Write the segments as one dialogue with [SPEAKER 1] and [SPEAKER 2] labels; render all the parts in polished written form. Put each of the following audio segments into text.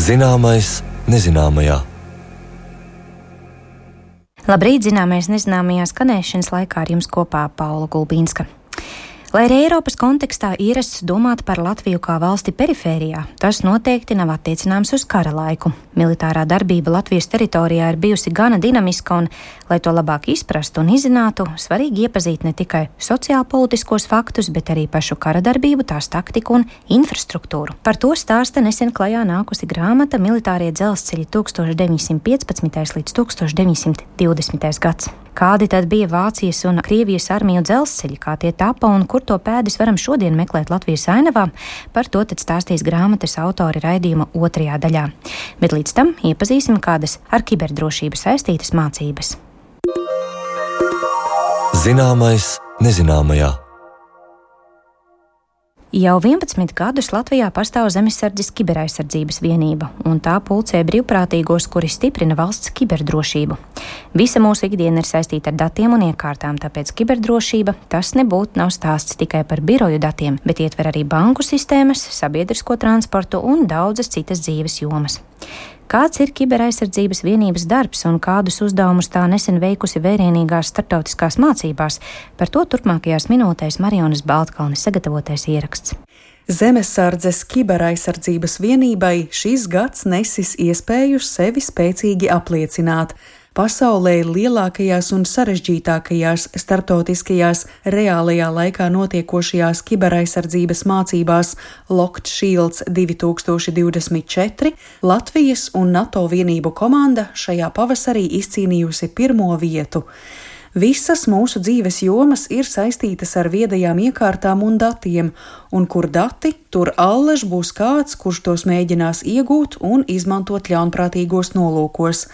[SPEAKER 1] Zināmais nezināmajā.
[SPEAKER 2] Labrīt, zināmais nezināmajā skanēšanas laikā ar jums kopā Paula Gulbīnska. Lai arī Eiropas kontekstā ierasts domāt par Latviju kā valsti perifērijā, tas noteikti nav attiecināms uz kara laiku. Militārā darbība Latvijas teritorijā ir bijusi gana dinamiska un, lai to labāk izprastu un izzinātu, svarīgi iepazīt ne tikai sociālpolitiskos faktus, bet arī pašu kara darbību, tās taktiku un infrastruktūru. Par to stāsta nesen klajā nākusi grāmata Militārie dzelzceļi 1915. līdz 1920. gads. Kādi tad bija Vācijas un Krievijas armiju dzelzceļi, kā tie tapa un kur to pēdas varam šodien meklēt Latvijas ainavā, par to tad stāstīs grāmatas autori raidījuma otrajā daļā. Bet līdz tam iepazīsim kādas ar kiberdrošību saistītas mācības.
[SPEAKER 1] Zināmais nezināmajā.
[SPEAKER 2] Jau 11 gadus Latvijā pastāv Zemesardzes kiberaizsardzības vienība, un tā pulcē brīvprātīgos, kuri stiprina valsts kiberdrošību. Visa mūsu ikdiena ir saistīta ar datiem un iekārtām, tāpēc kiberdrošība tas nebūtu nav stāsts tikai par biroju datiem, bet ietver arī banku sistēmas, sabiedrisko transportu un daudzas citas dzīves jomas. Kāds ir kiberaizsardzības vienības darbs un kādus uzdevumus tā nesen veikusi vērienīgās starptautiskās mācībās? Par to turpmākajās minūtēs Marijonas Baltkalnes sagatavotais ieraksts.
[SPEAKER 3] Zemesardzes kiberaizsardzības vienībai šis gads nesis iespēju sevi spēcīgi apliecināt. Pasaulē lielākajās un sarežģītākajās starptautiskajās reālajā laikā notiekošajās kiberaizsardzības mācībās Locked Shields 2024 Latvijas un NATO vienību komanda šajā pavasarī izcīnījusi pirmo vietu. Visas mūsu dzīves jomas ir saistītas ar viedajām iekārtām un datiem, un kur dati, tur allaž būs kāds, kurš tos mēģinās iegūt un izmantot ļaunprātīgos nolūkos.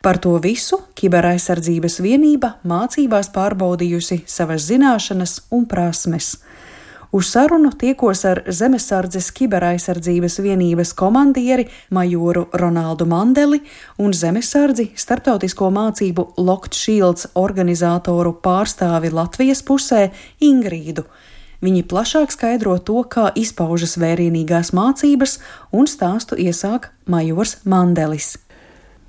[SPEAKER 3] Par to visu kiberaizsardzības vienība mācībās pārbaudījusi savas zināšanas un prasmes. Uz sarunu tiekos ar Zemesardzes kiberaizsardzības vienības komandieri majoru Ronaldu Mandeli un Zemesardzi starptautisko mācību Locked Shields organizatoru pārstāvi Latvijas pusē Ingrīdu. Viņi plašāk skaidro to, kā izpaužas vērienīgās mācības, un stāstu iesāk majors Mandelis.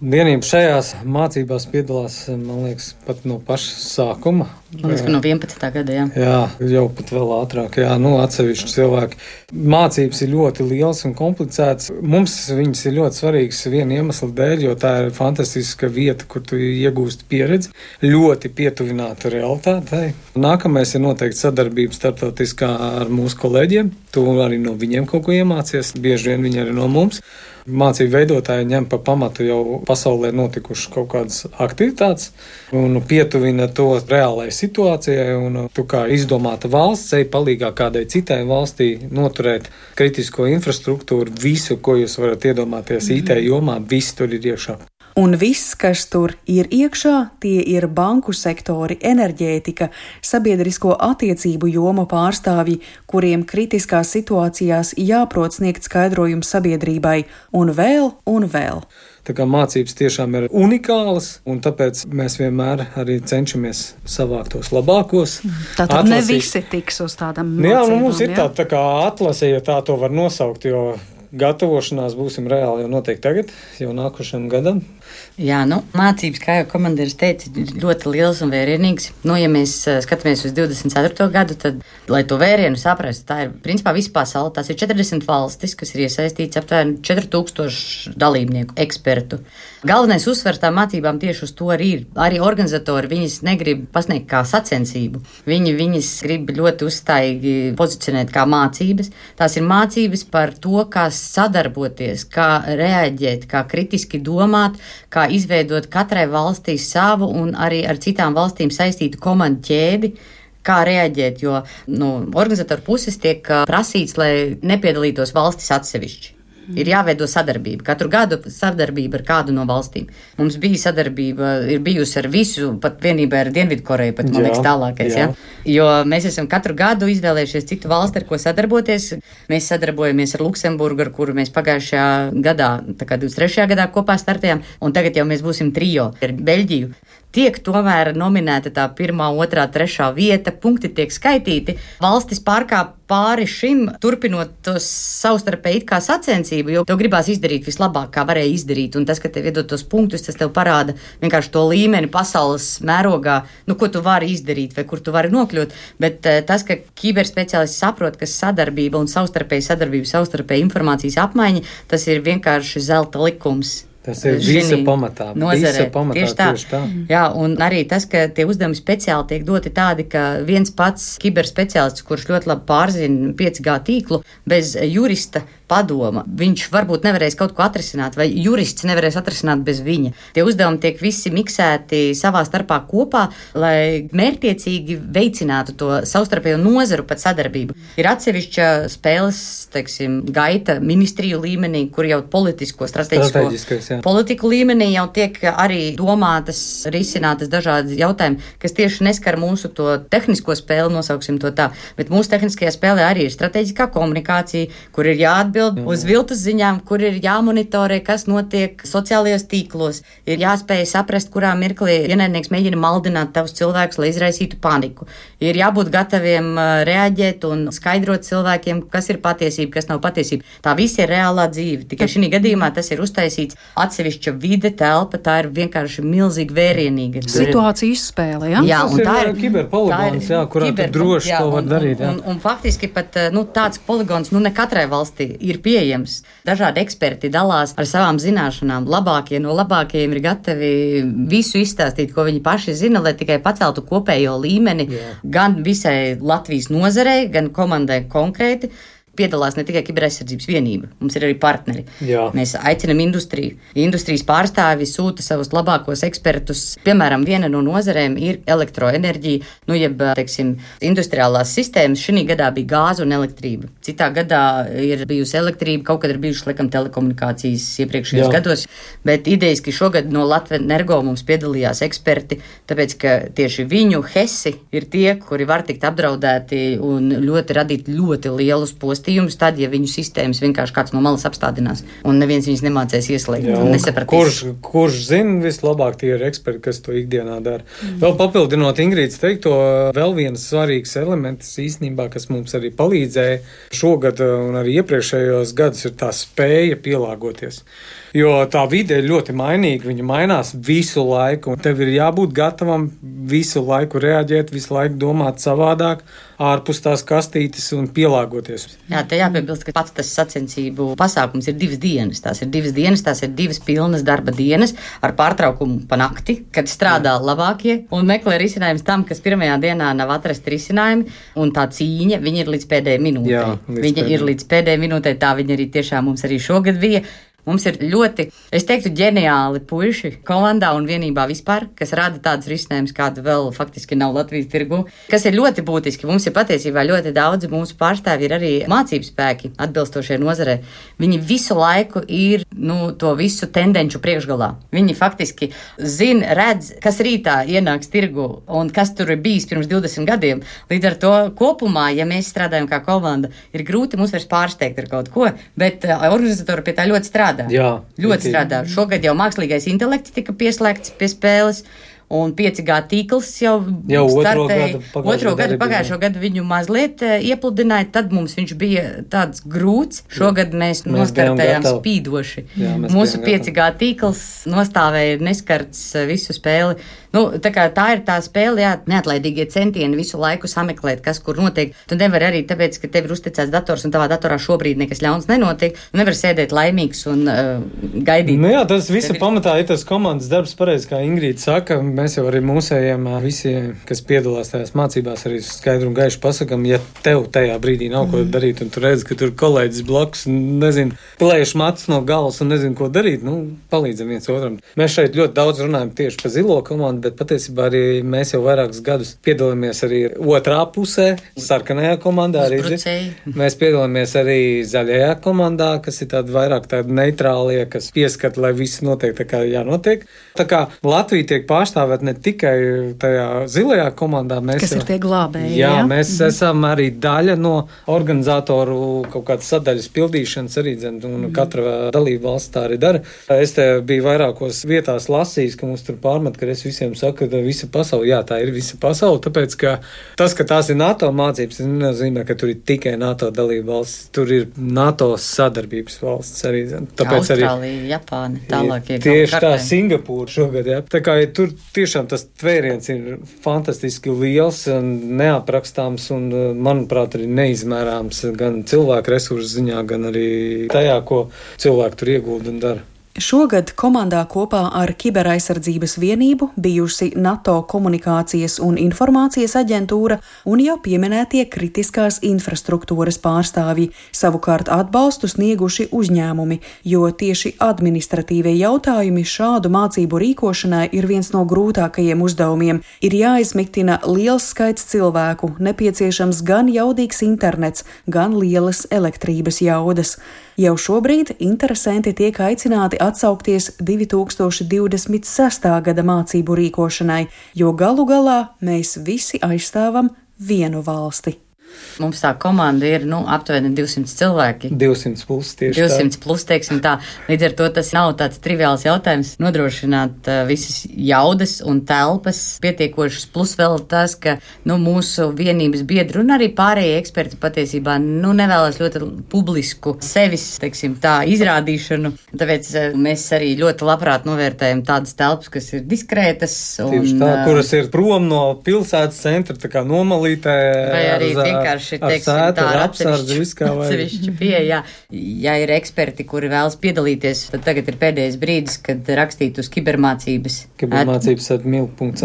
[SPEAKER 4] Vienība šajās mācībās piedalās, man liekas, pat no paša sākuma.
[SPEAKER 5] Man liekas, ka no 11. gada, jā.
[SPEAKER 4] Jā, jau pat vēl ātrāk, atsevišķi cilvēki. Mācības ir ļoti liels un komplicēts. Mums viņas ir ļoti svarīgas viena iemesla dēļ, jo tā ir fantastiska vieta, kur tu iegūsti pieredzi, ļoti pietuvināta realitātei. Nākamais ir noteikti sadarbība starptautiskā ar mūsu kolēģiem. Tu arī no viņiem kaut ko iemācies, bieži vien viņi arī no mums. Mācību veidotāji ņem pa pamatu jau pasaulē notikušas kaut kādas aktivitātes un pietuvina to reālajai situācijai, un tu kā izdomāta valsts ej palīgā kādai citai valstī noturēt kritisko infrastruktūru, visu, ko jūs varat iedomāties IT jomā, viss tur ir iekšā.
[SPEAKER 3] Un viss, kas tur ir iekšā, tie ir banku sektori, enerģētika, sabiedrisko attiecību jomu pārstāvji, kuriem kritiskās situācijās jāprot sniegt skaidrojumu sabiedrībai, un vēl, un vēl.
[SPEAKER 4] Tā kā mācības tiešām ir unikālas, un tāpēc mēs vienmēr arī cenšamies savākt tos labākos.
[SPEAKER 5] Tātad ne visi tiks uz tādām mācībām.
[SPEAKER 4] Mums ir tā kā atlase, ja tā to var nosaukt, jo gatavošanās būsim reāli jau noteikti tagad, jau nākošajam gadam.
[SPEAKER 5] Jā, mācības, kā jau komandieris teica, ir ļoti liels un vērienīgs. Ja mēs skatāmies uz 24. gadu, tad, lai to vērienu saprastu, tā ir principā visa pasaule. Tās ir 40 valstis, kas ir iesaistīts aptuveni 4000 dalībnieku, ekspertu. Galvenais uzsvers tām mācībām tieši uz to arī ir. Arī organizatori viņas negrib pasniegt kā sacensību. Viņi viņas grib ļoti uzstājīgi pozicionēt kā mācības. Tās ir mācības par to, kā sadarboties, kā reaģēt, kā kritiski domāt, kā izveidot katrai valstī savu un arī ar citām valstīm saistītu komandu ķēdi, kā reaģēt, jo no organizatoru puses tiek prasīts, lai nepiedalītos valstis atsevišķi. Ir jāveido sadarbība. Katru gadu sadarbība ar kādu no valstīm. Mums bija sadarbība, ir bijusi ar visu, pat vienībā ar Dienvidkoreju, pat, man liekas, tālākais. Jā. Jo mēs esam katru gadu izvēlējušies citu valsti, ar ko sadarboties. Mēs sadarbojamies ar Luksemburgu, ar kuru mēs pagājušajā gadā, tā kā 23. gadā kopā startējām, un tagad jau mēs būsim trio ar Beļģiju. tiek tomēr nominēta tā 1., 2., 3. vieta, punkti tiek skaitīti. Valstis pārkāp pāri šim, turpinot to savstarpēji it kā sacensību, jo tev gribās izdarīt vislabāk, kā varēja izdarīt, un tas, ka tev iedod tos punktus, tas tev parāda vienkārši to līmeni pasaules mērogā, ko tu vari izdarīt vai kur tu vari nokļūt, bet tas, ka kiberspeciālisti saprot, ka sadarbība un savstarpēja informācijas apmaiņa, tas ir vienkārši zelta likums.
[SPEAKER 4] Tas ir visa pamatā.
[SPEAKER 5] Nozarē. Tieši tā. Jā, un arī tas, ka tie uzdevumi speciāli tiek doti tādi, ka viens pats kiberspeciālists, kurš ļoti labi pārzina 5G tīklu, bez jurista padoma, viņš varbūt nevarēs kaut ko atrisināt, vai jurists nevarēs atrisināt bez viņa. Tie uzdevumi tiek visi miksēti savā starpā kopā, lai mērķtiecīgi veicinātu to savstarpējo nozaru pat sadarbību. Ir atsevišķa spēles, gaita ministriju līmenī, kur jau politisko, strateģisko politiku līmenī jau tiek arī domātas, risinātas dažādas jautājumi, kas tieši neskar mūsu to tehnisko spēli, nosauksim to tā, bet mūsu tehniskajā spēlē arī ir strateģiskā komunikācija, kur ir jāatbild uz viltus ziņām, kur ir jāmonitorē, kas notiek sociālajos tīklos, ir jāspēj saprast, kurā mirklī ienaidnieks mēģina maldināt tavus cilvēkus, lai izraisītu paniku. Ir jābūt gataviem reaģēt un skaidrot cilvēkiem, kas ir patiesība, kas nav patiesība. Tā viss ir reālā dzīve. Tikai šī gadījumā tas ir uztaisīts atsevišķa vide, telpa, tā ir vienkārši milzīgi vērienīga.
[SPEAKER 3] Situācija izspēle, ja?
[SPEAKER 5] Jā, un tā
[SPEAKER 4] ir kiberpoligons, kurā tu droši to var darīt.
[SPEAKER 5] Un faktiski pat tāds poligons ne katrai valstī ir pieejams. Dažādi eksperti dalās ar savām zināšanām. Labākie no labākajiem ir gatavi visu izstāstīt, ko viņi paši zina, lai tikai paceltu kopējo līmeni gan visai Latvijas nozarei, gan komandai konkrēti. Piedalās ne tikai Kiberaizsardzības vienība, mums ir arī partneri.
[SPEAKER 4] Jā.
[SPEAKER 5] Mēs aicinam industriju. Industrijas pārstāvi sūta savus labākos ekspertus. Piemēram, viena no nozarēm ir elektroenerģija, industriālās sistēmas. Šī gadā bija gāze un elektrība. Citā gadā ir bijusi elektrība, kaut kad ir bijušas, telekomunikācijas iepriekšējos gados, bet idejiski šogad no Latvenergo mums piedalījās eksperti, tāpēc, ka tieši viņu hesi ir tie, kuri var tikt apdraudēti un radīt ļoti lielus postus. Tad, ja viņu sistēmas vienkārši kāds no malas apstādinās, un neviens viņus nemācēs ieslēgt un nesapratīs.
[SPEAKER 4] Kurš zina vislabāk, tie ir eksperti, kas to ikdienā dara. Vēl papildinot Ingrīdas teikto, vēl viens svarīgs elements īstenībā, kas mums arī palīdzēja šogad un arī iepriekšējos gadus, ir tā spēja pielāgoties. Jo tā vide ir ļoti mainīga, viņa mainās visu laiku, un tev ir jābūt gatavam visu laiku reaģēt, visu laiku domāt savādāk, ārpus tās kastītes un pielāgoties.
[SPEAKER 5] Jā, te jāpiebilst, ka pats tas sacensību pasākums ir 2 dienas. Tās ir 2 pilnas darba dienas ar pārtraukumu pa nakti, kad strādā labākie un meklē risinājums tam, kas pirmajā dienā nav atrasti risinājumi, un tā cīņa, viņa ir līdz pēdējai minūtei. Tā viņa arī tiešām mums arī šogad bija. Mums ir ļoti, es teiktu, ģeniāli puiši komandā un vienībā vispār, kas rada tādus risinājumus, kādu vēl faktiski nav Latvijas tirgu, kas ir ļoti būtiski. Mums ir patiesībā ļoti daudzi mūsu pārstāvji ir arī mācību spēki atbilstošie nozarē. Viņi visu laiku ir to visu tendenču priekšgalā. Viņi faktiski zina, redz, kas rītā ienāks tirgu un kas tur ir bijis pirms 20 gadiem. Līdz ar to kopumā, ja mēs strādājam kā komanda, ir grūti mums vairs pārsteigt ar kaut ko, bet organizatori pie tā ļoti strādā.
[SPEAKER 4] Jā,
[SPEAKER 5] ļoti strādā. Šogad jau mākslīgais intelekts tika pieslēgts pie spēles, un 5G tīkls jau startēja. Pagājušo gadu viņu mazliet iepludināja, tad mums viņš bija tāds grūts. Šogad mēs nostartējām spīdoši. Mūsu 5G tīkls nostāvēja neskarts visu spēli. Tā ir tā spēle, neatlaidīgie centieni visu laiku sameklēt, kas kur notiek. Tu nevari arī tāpēc, ka tev ir uzticēts dators un tavā datorā šobrīd nekas ļauns nenotiek. Tu nevari sēdēt laimīgs un gaidīt.
[SPEAKER 4] Jā, tas visu pamatā ir tas komandas darbs, pareizi, kā Ingrīda saka. Mēs jau arī mūsējiem visiem, kas piedalās tajās mācībās, arī skaidru un gaišu pasakam, ja tev tajā brīdī nav ko darīt, un tu redzi, ka tur kolēģis blakus, plēš matus no galvas un nezinu, ko darīt, palīdzam viens otram. Mēs šeit ļoti daudz runājam tieši par zilo komandu, bet patiesībā arī mēs jau vairākus gadus piedalāmies arī otrā pusē, sarkanajā komandā. Mēs piedalāmies arī zaļajā komandā, kas ir vairāk tādi neitrālie, kas pieskat, lai viss notiek tā kā jānotiek. Tā kā Latvija tiek pārstāvēta pārstāvēt ne tikai tajā zilajā komandā.
[SPEAKER 3] Kas ir tie glābēji?
[SPEAKER 4] Jā, mēs esam arī daļa no organizatoru kaut kādas sadaļas pildīšanas arī, un katra dalība valsts tā arī dara. Es te biju vairākos vietās lasījis, ka mums tur pārmet, ka es visiem saku, ka visa pasaule, jā, tā ir visa pasaule, tāpēc, ka tas, ka tās ir NATO mācības, nenozīmē, ka tur ir tikai NATO dalība valsts, tur ir NATO sadarbības valsts arī. Tāpēc
[SPEAKER 5] Austrālija, Japāna, tālākie.
[SPEAKER 4] Tieši tā, Singapūra šogad, jā. Tā kā tur tiešām tas tvēriens ir fantastiski liels un neaprakstāms un, manuprāt, arī neizmērāms gan cilvēku resursu ziņā, gan arī tajā, ko cilvēki tur iegulda un dara.
[SPEAKER 3] Šogad komandā kopā ar Kiberaizsardzības vienību bijusi NATO komunikācijas un informācijas aģentūra un jau pieminētie kritiskās infrastruktūras pārstāvji, savukārt atbalstu snieguši uzņēmumi, jo tieši administratīvie jautājumi šādu mācību rīkošanai ir viens no grūtākajiem uzdevumiem. Ir jāizmiktina liels skaits cilvēku, nepieciešams gan jaudīgs internets, gan lielas elektrības jaudas. Jau šobrīd interesanti tiek aicināti atsaukties 2026. gada mācību rīkošanai, jo galu galā mēs visi aizstāvam vienu valsti.
[SPEAKER 5] Mums tā komanda ir aptuveni 200 cilvēki.
[SPEAKER 4] 200 plus tieši
[SPEAKER 5] 200 plus, teiksim tā. Līdz ar to tas nav tāds triviāls jautājums nodrošināt visas jaudas un telpas pietiekošas, plus vēl tas, ka mūsu vienības biedri un arī pārējie eksperti patiesībā nevēlas ļoti publisku sevis, teiksim tā, izrādīšanu. Tāpēc mēs arī ļoti labprāt novērtējam tādas telpas, kas ir diskrētas.
[SPEAKER 4] Tieši tā, kuras ir prom no pilsētas centra, tā kā nomalītē.
[SPEAKER 5] Vai arī vienkārši, teiksim, tā ar atsevišķu pieeja. Ja ir eksperti, kuri vēlas piedalīties, tad tagad ir pēdējais brīdis, kad rakstīt uz kibermācības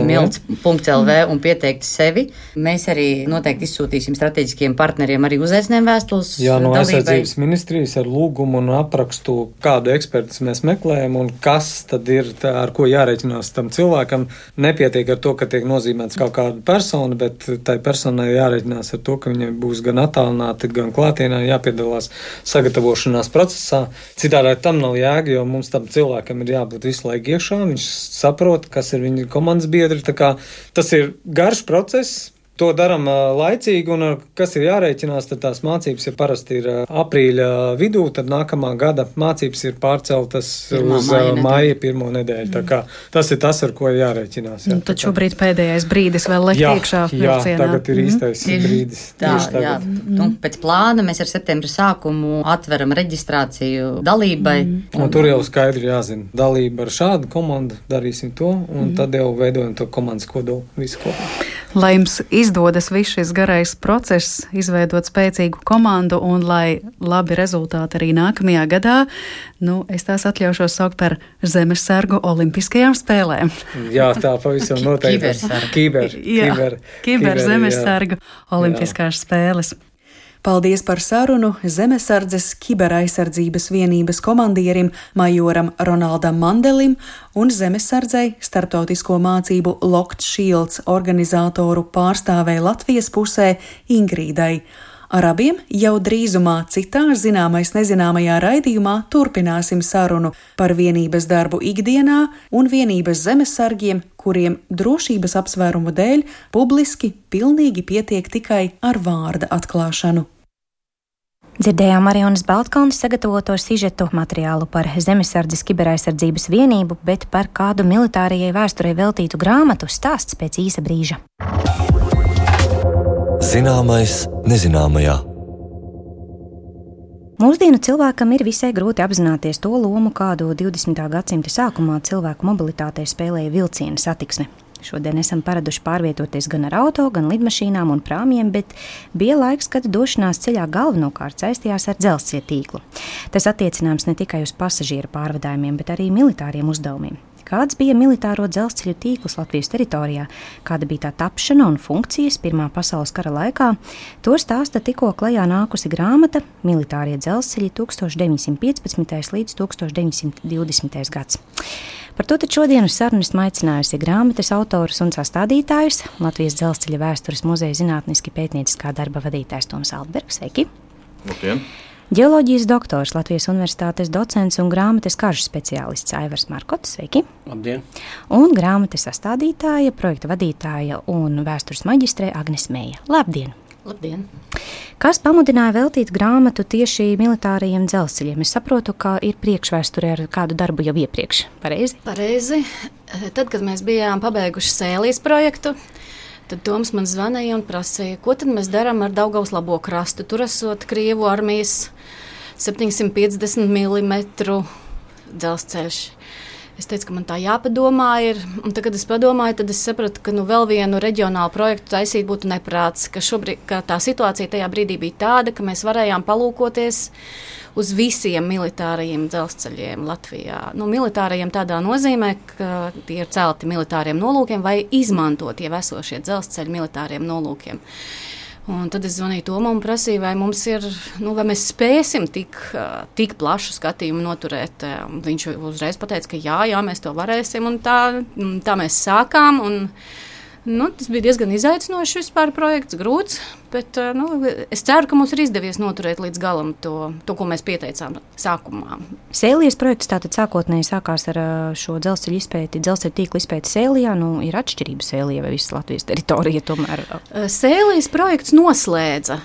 [SPEAKER 5] milts.lv un pieteikt sevi. Mēs arī noteikti izsūtīsim strateģiskiem partneriem arī uzaicinājumu vēstules.
[SPEAKER 4] Jā, no aizsardzības ministrijas ar lūgumu un aprakstu, kādu ekspertus mēs meklējam un kas tad ir tā, ar ko jārēķinās tam cilvēkam. Nepietiek ar to, ka tiek nozīmēts kaut kāda persona, bet tai personai jārēķinās ar to, ka viņai būs gan attālināti, gan klātienā jāpiedalās sagatavošanās procesā. Citādi tam nav jēga, jo mums tam cilvēkam ir jābūt visu laiku iekšā, viņš saprot, kas ir viņa komandas biedri. Tā kā tas ir garš process. To daram laicīgi, un kas ir jārēķinās, tad tās mācības, ja parasti ir aprīļa vidū, tad nākamā gada mācības ir pārceltas uz maija pirmo nedēļu. Tā kā tas ir tas, ar ko jā.
[SPEAKER 3] Tad šobrīd pēdējais brīdis vēl lekt iekšā vilcienā.
[SPEAKER 4] Jā, tagad ir īstais brīdis.
[SPEAKER 5] Jā. Pēc plāna mēs ar septembra sākumu atveram reģistrāciju dalībai.
[SPEAKER 4] Un tur jau skaidri jāzina. Dalība ar šādu komandu, darīsim to, un tad jau veidojam to komandas kodolu visu kopā.
[SPEAKER 3] Lai jums izdodas viss šis garais process, izveidot spēcīgu komandu un lai labi rezultāti arī nākamajā gadā, es tās atļaušos saukt par zemesargu olimpiskajām spēlēm.
[SPEAKER 4] Jā, tā pavisam noteikti.
[SPEAKER 3] Kiber zemesargu olimpiskās spēles. Paldies par sarunu Zemesardzes Kiberaizsardzības vienības komandierim majoram Ronaldam Mandelim un Zemesardzei starptautisko mācību Locked Shields organizatoru pārstāvei Latvijas pusē Ingrīdai. Ar abiem jau drīzumā citā zināmais nezināmajā raidījumā turpināsim sarunu par vienības darbu ikdienā un vienības zemesargiem, kuriem drošības apsvērumu dēļ publiski pilnīgi pietiek tikai ar vārda atklāšanu.
[SPEAKER 2] Dzirdējām Marijonas Baltkalnes sagatavoto sižetu materiālu par Zemesardzes Kiberaizsardzības vienību, bet par kādu militārajai vēsturei veltītu grāmatu stāsts pēc īsa brīža.
[SPEAKER 1] Zināmais nezināmajā.
[SPEAKER 2] Mūsdienu cilvēkam ir visai grūti apzināties to lomu, kādu 20. gadsimta sākumā cilvēku mobilitātei spēlēja vilciena satiksme. Šodien esam paraduši pārvietoties gan ar auto, gan lidmašīnām un prāmjiem, bet bija laiks, kad došanās ceļā galvenokārt saistījās ar dzelzceļa tīklu. Tas attiecināms ne tikai uz pasažieru pārvadājumiem, bet arī militāriem uzdevumiem. Kāds bija militāro dzelzceļu tīkls Latvijas teritorijā, kāda bija tā tapšana un funkcijas Pirmā pasaules kara laikā, to stāsta tikko klajā nākusi grāmata Militārie dzelzceļi 1915. līdz 1920. gads. Par to tad šodien uz sarunu esmu aicinājusi grāmatas autorus un sastādītājus, Latvijas dzelzceļa vēstures muzeja zinātniski pētnieciskā darba vadītājs Toms Altbergs. Sveiki!
[SPEAKER 6] Labdien!
[SPEAKER 2] Ģeoloģijas doktors, Latvijas Universitātes docents un grāmatas karžu speciālists Aivars Markots. Sveiki!
[SPEAKER 6] Labdien!
[SPEAKER 2] Un grāmatas sastādītāja, projekta vadītāja un vēstures maģistrē Agnes Meija. Labdien!
[SPEAKER 5] Labdien!
[SPEAKER 2] Kas pamudināja veltīt grāmatu tieši militārajiem dzelzceļiem? Es saprotu, ka ir priekšvēsture ar kādu darbu jau iepriekš. Pareizi?
[SPEAKER 7] Pareizi. Tad, kad mēs bijām pabeiguši Sēlijas projektu, tad Toms man zvanīja un prasīja, ko tad mēs darām ar Daugavas labo krastu. Tur esot Krievu armijas 750 mm dzelzceļš. Es teicu, ka man tā jāpadomā ir. Un tad, kad es padomāju, tad es sapratu, ka vēl vienu reģionālu projektu taisīt būtu neprāts. Ka tā situācija tajā brīdī bija tāda, ka mēs varējām palūkoties uz visiem militārajiem dzelzceļiem Latvijā. Militārajiem tādā nozīmē, ka tie ir celti militāriem nolūkiem vai izmantot jau esošie dzelzceļi militāriem nolūkiem. Un tad es zvanīju Tomam un prasīju, vai mums ir, vai mēs spēsim tik plašu skatījumu noturēt. Viņš uzreiz pateica, ka jā, mēs to varēsim, un tā mēs sākām. Tas bija diezgan izaicinošs vispār projekts, grūts, bet es ceru, ka mums ir izdevies noturēt līdz galam to, ko mēs pieteicām sākumā.
[SPEAKER 2] Sēlijas projekts tātad sākotnēji sākās ar šo dzelzceļu izpēti, dzelzceļu tīklu izpēti Sēlijā. Ir atšķirība Sēlijā vai visas Latvijas teritorija tomēr?
[SPEAKER 7] Sēlijas projekts noslēdza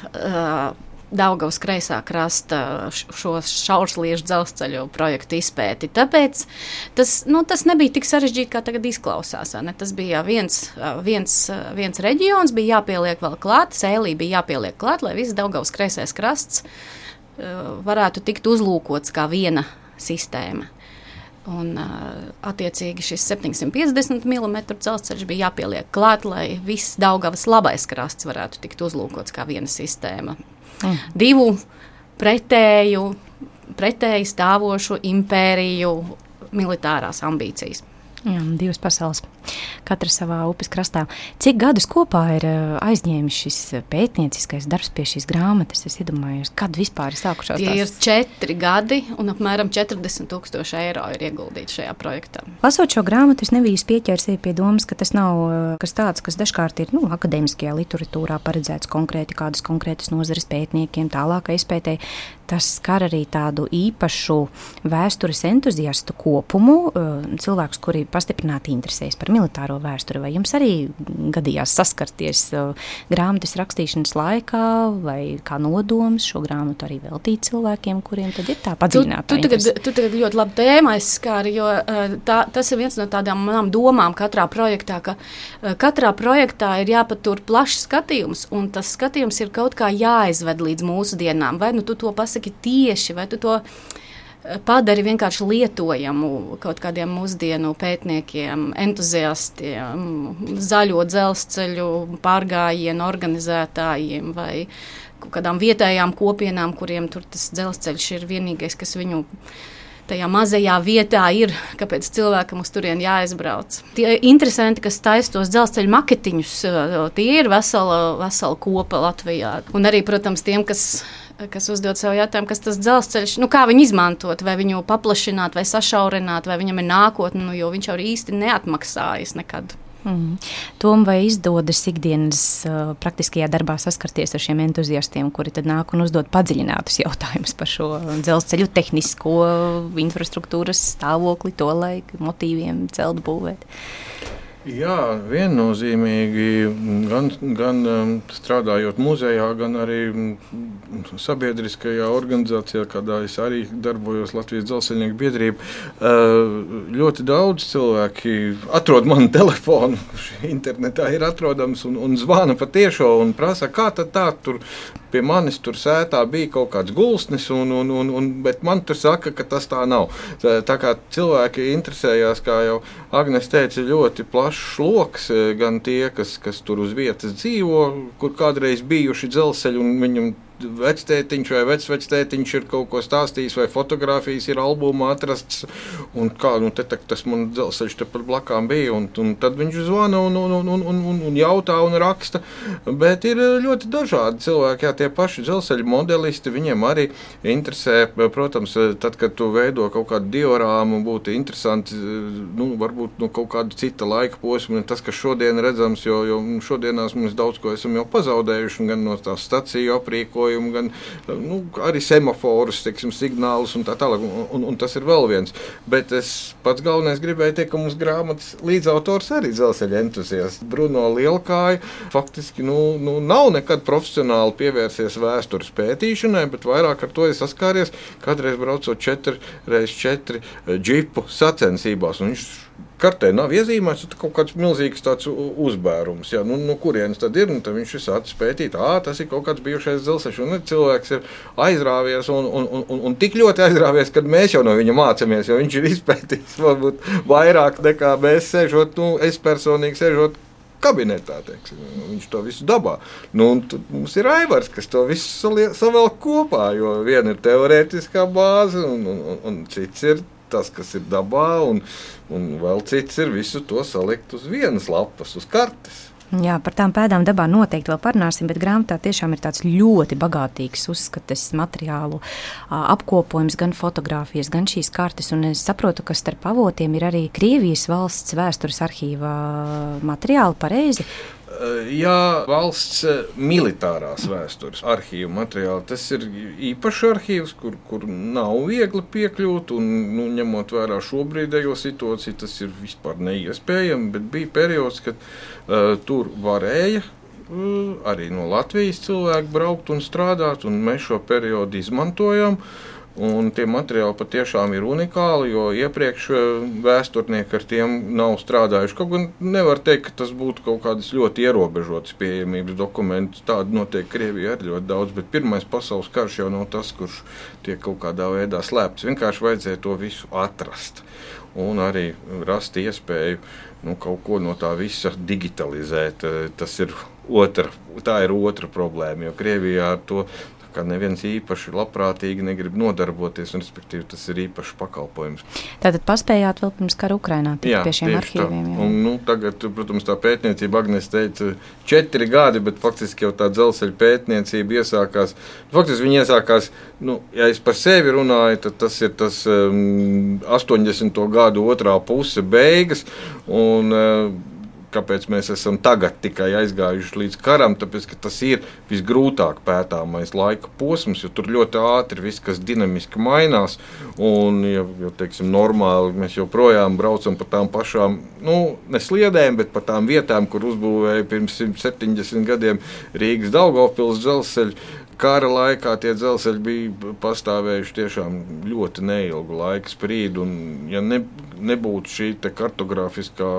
[SPEAKER 7] Daugavas kreisā krasta šo šaursliežu dzelzceļu projektu izpēti. Tāpēc tas nebija tik sarežģīti, kā tagad izklausās. Tas bija viens reģions, bija jāpieliek vēl klāt, Sēlija bija jāpieliek klāt, lai viss Daugavas kreisais krasts varētu tikt uzlūkots kā viena sistēma. Un, attiecīgi šis 750 mm dzelzceļš bija jāpieliek klāt, lai viss Daugavas labais krasts varētu tikt uzlūkots kā viena sistēma. Divu pretēji stāvošu impēriju militārās ambīcijas.
[SPEAKER 2] Jā, divas pasaules, katra savā upes krastā. Cik gadus kopā ir aizņēmis šis pētnieciskais darbs pie šīs grāmatas? Es iedomājos, kad vispār ir sākušās tās?
[SPEAKER 7] Tie ir 4 gadi un apmēram 40,000 eiro ir ieguldīti šajā projektā.
[SPEAKER 2] Lasot šo grāmatu, es nebiju pieķēries pie domas, ka tas nav kas tāds, kas dažkārt ir akadēmiskajā literatūrā paredzēts kādas konkrētas nozares pētniekiem, tālākai izpētēji. Tas skar arī tādu īpašu vēstures entuziastu kopumu, cilvēkus, kuri pastiprināti interesējas par militāro vēsturi. Vai jums arī gadījās saskarties grāmatas rakstīšanas laikā, vai kā nodoms šo grāmatu arī veltīt cilvēkiem, kuriem tad ir tā padziļinātā interese?
[SPEAKER 7] Tu tagad ļoti labi tēma aizskāri, jo tas ir viens no tādām manām domām katrā projektā, ka katrā projektā ir jāpatur plašs skatījums, un tas skatījums ir kaut kā jāizved līdz mūsdienām. Vai tu to pasaki tieši, vai tu to padari vienkārši lietojamu kaut kādiem mūsdienu pētniekiem, entuziastiem, zaļo dzelzceļu pārgājienu organizētājiem vai kaut kādām vietējām kopienām, kuriem tur tas dzelzceļš ir vienīgais, kas viņu tajā mazajā vietā ir, kāpēc cilvēkam uz turieni jāaizbrauc. Tie interesanti, kas taisa tos dzelzceļu maketiņus, tie ir vesela kopa Latvijā. Un arī, protams, tiem, kas uzdod sev jautājumu, kas tas dzelzceļš, kā viņu izmantot, vai viņu paplašināt, vai sašaurināt, vai viņam ir nākotne, jo viņš jau īsti neatmaksājas nekad.
[SPEAKER 2] Tom, vai izdodas ikdienas praktiskajā darbā saskarties ar šiem entuziastiem, kuri tad nāk un uzdod padziļinātus jautājumus par šo dzelzceļu tehnisko infrastruktūras stāvokli, to laiku, motīviem celt būvēt?
[SPEAKER 6] Jā, viennozīmīgi gan strādājot muzejā, gan arī sabiedriskajā organizācijā, kādā es arī darbojos Latvijas dzelzceļnieku biedrība. Ļoti daudz cilvēki atrod manu telefonu, kurš internetā ir atrodams, un zvana pa tiešo un prasa, kā tad tā tur pie manis tur sētā bija kaut kāds gulsnis, bet man tur saka, ka tas tā nav. Tā kā cilvēki interesējās, kā jau Agnes teica, ļoti plašs loks, gan tie, kas tur uz vietas dzīvo, kur kādreiz bijuši dzelzceļi un viņam vectētiņš vai vecvectētiņš ir kaut ko stāstījis, vai fotogrāfijas ir albumā atrasts, un kā, tas man dzelzceļš te pat blakām bija, un tad viņš zvana un jautā un raksta, bet ir ļoti dažādi cilvēki, jā, tie paši dzelzceļu modelisti, viņiem arī interesē, protams, tad, kad tu veido kaut kādu diorāmu, būtu interesanti, varbūt no kaut kāda cita laika posma, tas, kas šodien redzams, jo šodienās mēs daudz ko esam jau pazaudējuši, gan no tās staciju aprīkojuma, pakalpojumu, gan arī semaforus, teiksim, signālus un tā tālāk, un tas ir vēl viens. Bet es pats galvenais gribēju teikt, ka mums grāmatas līdzautors arī dzelzceļa entuziasts. Bruno Lielkāja faktiski nav nekad profesionāli pievērsies vēstures pētīšanai, bet vairāk ar to ir saskāries, kādreiz braucot 4x4 džipu sacensībās, un viņš kartē nav iezīmēts, tad kaut kāds milzīgs tāds uzbērums. Ja, kurienes tad ir? Tad viņš ir sācis pētīt, tas ir kaut kāds bijušais dzelzceļš, un cilvēks ir aizrāvies un tik ļoti aizrāvies, kad mēs jau no viņa mācāmies, jo viņš ir izpētījis varbūt vairāk nekā mēs sēžot, es personīgi sēžot kabinetā, teiksim. Viņš to visu dabā. Tad mums ir Aivars, kas to visu savelk kopā, jo viena ir teorētiskā bāze, un cits ir tas, kas ir dabā, un vēl cits ir visu to salikt uz vienas lapas, uz kartes.
[SPEAKER 2] Jā, par tām pēdām dabā noteikti vēl parunāsim, bet grāmatā tiešām ir tāds ļoti bagātīgs uzskates materiālu apkopojums, gan fotogrāfijas, gan šīs kartes, un es saprotu, ka starp avotiem ir arī Krievijas valsts vēstures arhīva materiāli, pareizi?
[SPEAKER 6] Jā, valsts militārās vēstures arhīva materiāli. Tas ir īpašs arhīvs, kur nav viegli piekļūt, un ņemot vērā šobrīdējo situāciju, tas ir vispār neiespējami, bet bija periods, kad tur varēja arī no Latvijas cilvēki braukt un strādāt, un mēs šo periodu izmantojam. Un tie materiāli patiešām ir unikāli, jo iepriekš vēsturnieki ar tiem nav strādājuši. Kaut gan nevar teikt, ka tas būtu kaut kādas ļoti ierobežotas pieejamības dokumenti. Tādu notiek Krievijā ir ļoti daudz, bet Pirmais pasaules karš jau nav tas, kurš tiek kaut kādā veidā slēpts. Vienkārši vajadzēja to visu atrast un arī rast iespēju kaut ko no tā visa digitalizēt. Tā ir otra problēma, jo Krievijā ar to ka neviens īpaši labprātīgi negrib nodarboties, un respektīvi tas ir īpašs pakalpojums.
[SPEAKER 2] Tātad paspējāt vēl pirms kara Ukrainā tikt pie šiem arhīviem? Jā.
[SPEAKER 6] Un tagad, protams, tā pētniecība, Agnes teica, 4 gadi, bet faktiski jau tā dzelzceļa pētniecība iesākās. Faktiski viņa iesākās, ja es par sevi runāju, tad tas ir tas 80. gadu otrā puse beigas, un kāpēc mēs esam tagad tikai aizgājuši līdz karam, tāpēc, ka tas ir visgrūtāk pētāmais laika posms, jo tur ļoti ātri viss, kas dinamiski mainās, un, teiksim, normāli mēs joprojām braucam pa tām pašām, ne sliedēm, bet pa tām vietām, kur uzbūvēja pirms 170 gadiem Rīgas Daugavpils dzelzceļu. Kara laikā tie dzelzceļi bija pastāvējuši tiešām ļoti neilgu laika sprīdi, un ja nebūtu šī kartogrāfiskā,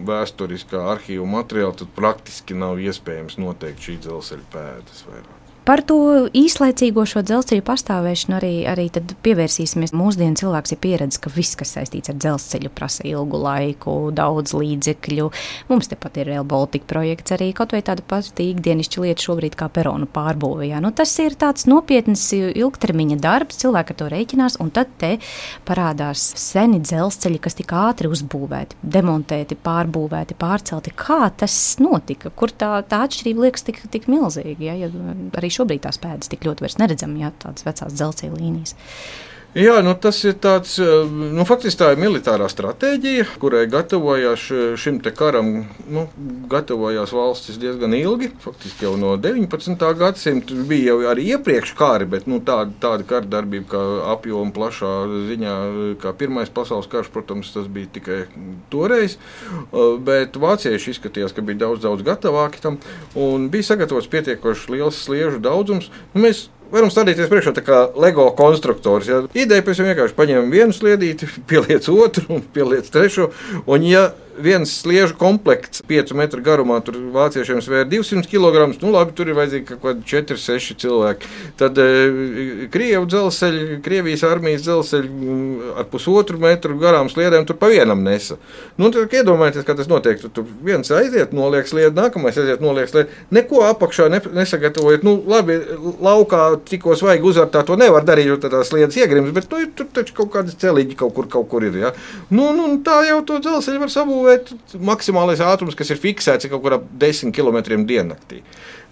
[SPEAKER 6] vēsturiskā arhīva materiāla, tad praktiski nav iespējams noteikt šī dzelzceļa pēdas vairāk.
[SPEAKER 2] Par to īslaicīgo šo dzelzceļu pastāvēšanu arī tad pievērsīsimies. Mūsdienu cilvēks ir pieredzis, ka viss, kas saistīts ar dzelzceļu, prasa ilgu laiku, daudz līdzekļu. Mums tepat ir Rail Baltica projekts arī, kaut vai tāda pati ikdienišķa lieta šobrīd kā peronu pārbūve. Tas ir tāds nopietns ilgtermiņa darbs, cilvēki ar to rēķinās, un tad te parādās seni dzelzceļi, kas tik ātri uzbūvēti, demontēti, pārbūvēti, pārcelti. Kā tas notika? Kur tā atšķirība liekas tik milzīga? Ja arī šobrīd tās pēdas tik ļoti vairs neredzam, tādas vecās dzelzceļa līnijas.
[SPEAKER 6] Jā, tas ir tāds, faktiski tā ir militārā stratēģija, kurai gatavojās šim te karam, gatavojās valstis diezgan ilgi, faktiski jau no 19. gadsimta, bija jau arī iepriekš kari, bet tāda kara darbība kā apjoma plašā ziņā, kā Pirmais pasaules karš, protams, tas bija tikai toreiz, bet vācieši izskatījās, ka bija daudz gatavāki tam, un bija sagatavots pietiekoši liels sliežu daudzums. Mēs varam stādīties priekšā tā kā Lego konstruktors. Ja? Ideja pēc tam vienkārši paņem vienu sliedīti, pieliec otru un pieliec trešo, un ja viens sliežu komplekts 5 metru garumā, tur vāciešiem svēra 200 kg, labi, tur ir vajadzīgi kaut kādi 4-6 cilvēki. Tad Krievijas armijas dzelzceļi ar 1,5 metru garām sliedēm tur pa vienam nesa. Tad iedomājieties, kā tas notiek. Tur viens aiziet, noliek sliedi, nākamais aiziet, noliek sliedi. Neko apakšā nesagatavojot. Labi, laukā tikko svaigi uzvērtā to nevar darīt, jo tā sliedas iegrims, bet tur taču kaut kādas celiņi kaut kur ir. Ja? Tā jau to dzelzceļu var sabūvēt. Maksimālais ātrums, kas ir fiksēts, ir kaut kur ap 10 km diennaktī.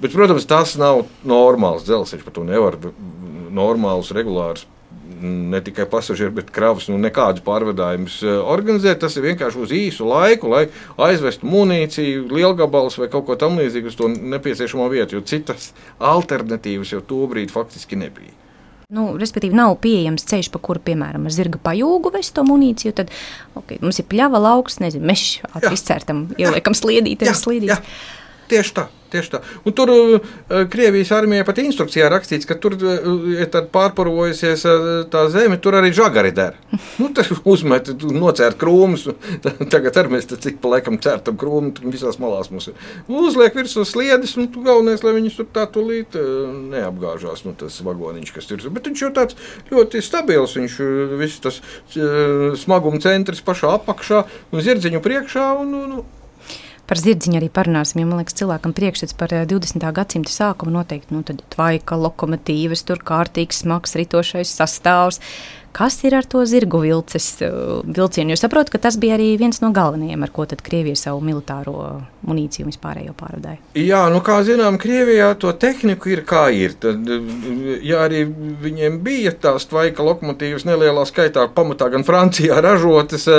[SPEAKER 6] Bet, protams, tas nav normāls dzelzceļš, par to nevar normālus, regulārus ne tikai pasažieru, bet kravas, nekādus pārvadājumus organizēt. Tas ir vienkārši uz īsu laiku, lai aizvestu munīciju, lielgabalus vai kaut ko tam līdzīgu uz to nepieciešamo vietu, jo citas alternatīvas jau tobrīd faktiski nebija.
[SPEAKER 2] Respektīvi, nav pieejams ceļš, pa kuru, piemēram, ar zirga pajūgu vest to munīciju, tad mums ir pļava lauks, mežs, izcērtam, ieliekam sliedīti.
[SPEAKER 6] Tieši tā. Un tur Krievijas armijai pat instrukcijā rakstīts, ka tur ir pārparojusies tā zeme, tur arī žagari der. Tur uzmet, nocērt krūmus, tagad arī mēs cik pa laikam cērtam krūmu, visās malās mums ir. Uzliek virsū sliedes, un galvenais, lai viņus tur tā tūlīt neapgāžās, tas vagoniņš, kas ir. Bet viņš jau tāds ļoti stabils, viņš viss tas smaguma centrs pašā apakšā un zirdziņu priekšā un
[SPEAKER 2] Par zirdziņu arī parunāsim, jo, man liekas, cilvēkam priekšstats par 20. gadsimta sākumu noteikti, tad tvaika, lokomotīvas, tur kārtīgs, smags ritošais sastāvs. Kas ir ar to zirgu vilcienu? Jo saprotu, ka tas bija arī viens no galvenajiem, ar ko tad Krievija savu militāro munīciju un vispārējo pārvadāja.
[SPEAKER 6] Jā, kā zinām, Krievijā to tehniku ir kā ir. Tad, ja arī viņiem bija tās tvaika lokomotīvas nelielā skaitā, pamatā gan Francijā ražotas,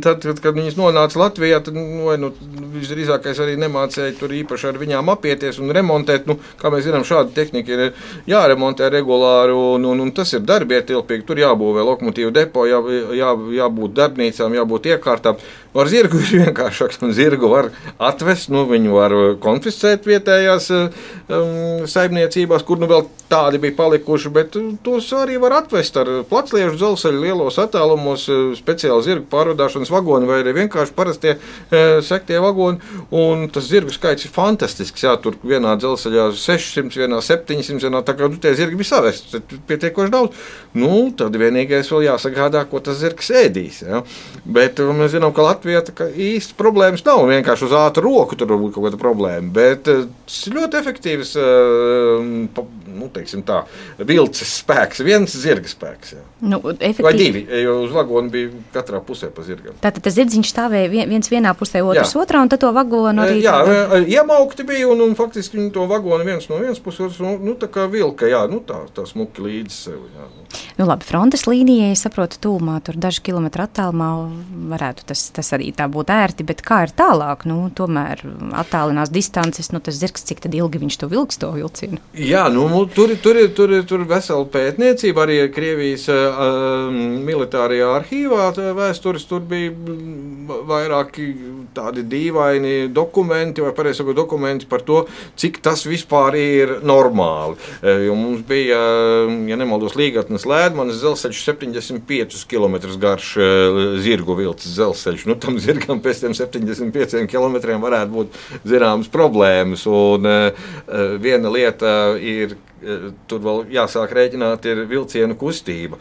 [SPEAKER 6] tad, kad viņas nonāca Latvijā, tad visdrīzākais arī nemācēja tur īpaši ar viņām apieties un remontēt. Kā mēs zinām, šāda tehnika ir jāremontē regulāri, un tas ir darbietilpīgi, tur jābūvē lokomotīvu depo, jābūt darbnīcām, jābūt iekārtām. Ar zirgu ir vienkāršāks, un zirgu var atvest, viņu var konfiscēt vietējās saimniecībās, kur vēl tādi bija palikuši, bet tos arī var atvest ar placliežu dzelzceļu lielos attālumos, speciāli zirgu pārvadāšanas vagoni vai arī vienkārši parastie sektie vagoni, un tas zirgu skaits ir fantastisks, tur vienā dzelzceļā 600, vienā 700, tā kā tie zirgi bija savest, pietiekoši daudz, tad vienīgais vēl jāsagādā, ko tas zirgs ēdīs, bet mēs zinām, ka Latvijā īsti problēmas nav, vienkārši uz ātru roku tur var būt kaut kāda problēma, bet tas ir ļoti efektīvs, teiksim tā, vilces spēks, viens zirga spēks. Vai divi, jo uz vagonu bija katrā pusē pa zirgam.
[SPEAKER 2] Tātad tas zirdziņš stāvēja viens vienā pusē, otrs otrā, un tad to vagonu arī...
[SPEAKER 6] Iemaukti bija, un faktiski to vagonu viens no vienas puses, tā kā vilka, tā smuki līdz sev.
[SPEAKER 2] Labi, frontes līnijai, saprotu, tūmā, tur daži kilometri attālumā varētu tas arī tā būt ērti, bet kā ir tālāk? Tomēr attālinās distances, tas zirgs, cik tad ilgi viņš to vilks, to vilcienu?
[SPEAKER 6] Jā, tur vesela pētniecība, arī Krievijas militārajā arhīvā vēstures, tur bija vairāki tādi dīvaini dokumenti, vai pareizi sakot, dokumenti par to, cik tas vispār ir normāli. Jo mums bija, ja nemaldos, Līgatnes Lēdmanes dzelzceļš 75 km garš zirgu vilces dzelzceļš. Tam zirgam pēc tiem 75 km varētu būt zināmas problēmas. Un viena lieta ir, tur vēl jāsāk rēķināt, ir vilcienu kustība.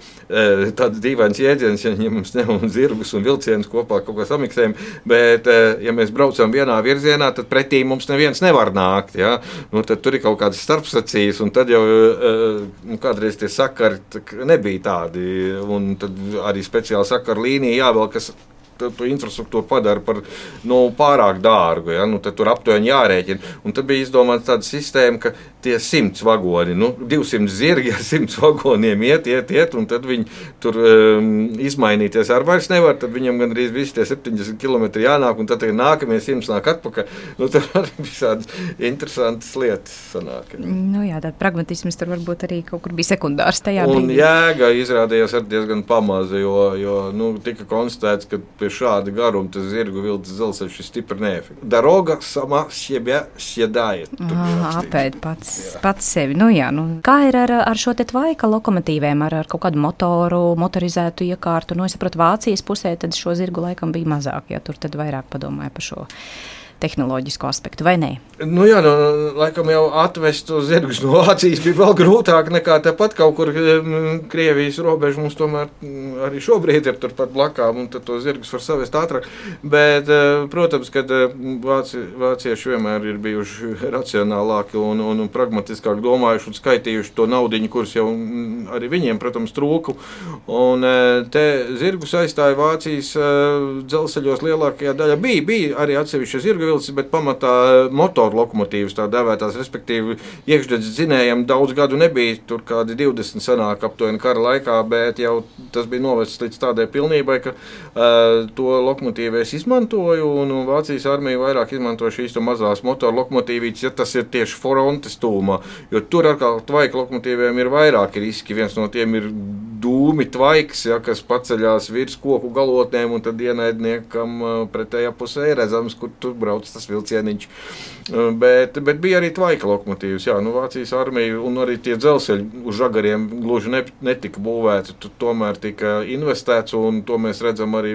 [SPEAKER 6] Tāds dīvains jēdziens, ja mums ņemam zirgus un vilcienus kopā kaut kā samiksējam, bet ja mēs braucam vienā virzienā, tad pretī mums neviens nevar nākt. Ja? Tad tur ir kaut kādas starpsacijas, un tad jau kādreiz tie sakari nebija tādi, un tad arī speciāli sakaru līnija jāvēl, kas to infrastruktūru padara par pārāk dārgu. Ja? Tad tur aptuveni jārēķina. Un tad bija izdomāta tāda sistēma, ka tie 100 vagoni, 200 zirgi ar 100 vagoniem iet, un tad viņi tur izmainīties ar vairs nevar, tad viņam gandrīz visi tie 70 km jānāk, un tad nākamie 100 nāk atpakaļ. Tur arī visādas interesantas lietas sanāk.
[SPEAKER 2] Jā, tāda pragmatisms tur varbūt arī kaut kur bija sekundārs tajā brīdī.
[SPEAKER 6] Un jēga izrādījās arī diezgan pamaza, jo tika konstatēts, ka pie šāda garuma tas zirgu vilces dzelzceļš ir stipri neefektīvs. Daroga sama siebie siedāja.
[SPEAKER 2] Apēd pats sevi. Kā ir ar šo te tvaika lokomotīvēm, ar kaut kādu motorizētu iekārtu? Es saprotu, Vācijas pusē tad šo zirgu laikam bija mazāk, ja tur tad vairāk padomāja par šo tehnoloģisko aspektu, vai ne?
[SPEAKER 6] Laikam jau atvest zirgus no Vācijas bija vēl grūtāk nekā tepat kaut kur Krievijas robeža. Mums tomēr arī šobrīd ir turpat blakām, un tad to zirgus var savest ātrāk. Bet, protams, kad vācieši vienmēr ir bijuši racionālāki un pragmatiskāk domājuši un skaitījuši to naudiņu, kuras jau arī viņiem, protams, trūku. Un te zirgus aizstāja Vācijas dzelzceļos lielākajā daļā. Bija arī atsevišķi zirgu vilcis, bet pamatā motoru lokomotīvas tā dēvētās, respektīvi iekšdedzes dzinējiem daudz gadu nebija, tur kādi 20 sanāk aptuveni kara laikā, bet jau tas bija novests līdz tādai pilnībai, ka to lokomotīvu es izmantoju, un Vācijas armija vairāk izmanto šīs mazās motoru lokomotīvītes, ja tas ir tieši frontes tūmā, jo tur atkal tvaika lokomotīviem ir vairāki riski, viens no tiem ir dūmi tvaiks, ja, kas paceļās virs koku galotnēm, un tad ienaidniekam pretējā pusē ir redzams, kur tur brauc tas vilcieniņš. Bet bija arī tvaika lokomotīvas, jā, Vācijas armija un arī tie dzelzceļi uz žagariem gluži netika būvēti, tur tomēr tika investēts, un to mēs redzam arī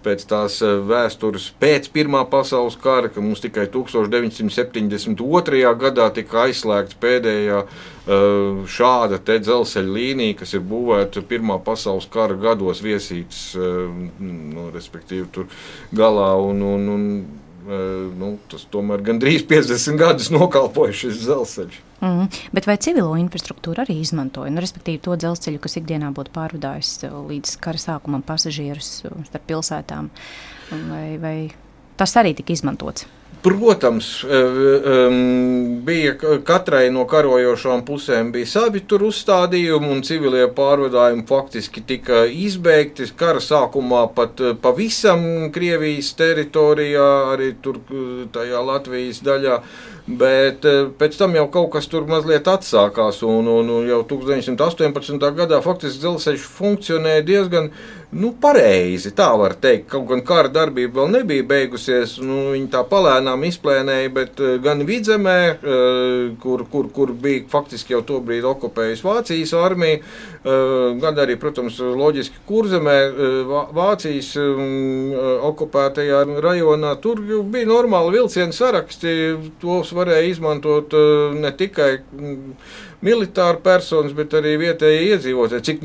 [SPEAKER 6] pēc tās vēstures pēc Pirmā pasaules kara, ka mums tikai 1972. Gadā tika aizslēgts pēdējā šāda te dzelzceļa līnija, kas ir būvēta Pirmā pasaules kara gados viesītas, respektīvi tur galā, un tas tomēr gandrīz 50 gadus nokalpoja šis dzelzceļš.
[SPEAKER 2] Bet vai civilo infrastruktūru arī izmantoja? Respektīvi to dzelzceļu, kas ikdienā būtu pārvadājis līdz kara sākumam pasažierus starp pilsētām, vai tas arī tika izmantots?
[SPEAKER 6] Protams, bija katrai no karojošām pusēm bija savi tur uzstādījumi, un civilie pārvadājumi faktiski tika izbeigti. Kara sākumā pat pavisam Krievijas teritorijā, arī tur tajā Latvijas daļā, bet pēc tam jau kaut kas tur mazliet atsākās, un jau 1918. Gadā faktiski dzelzceļš funkcionēja diezgan pareizi, tā var teikt. Kaut gan kara darbība vēl nebija beigusies, viņi tā palēnām izplēnēja, bet gan Vidzemē, kur bija faktiski jau tobrīd okupējusi Vācijas armija, gan arī, protams, loģiski Kurzemē, Vācijas okupētajā rajonā, tur bija normāli vilcienu saraksti, tos varēja izmantot ne tikai militāri personas, bet arī vietēji iedzīvotāji. Cik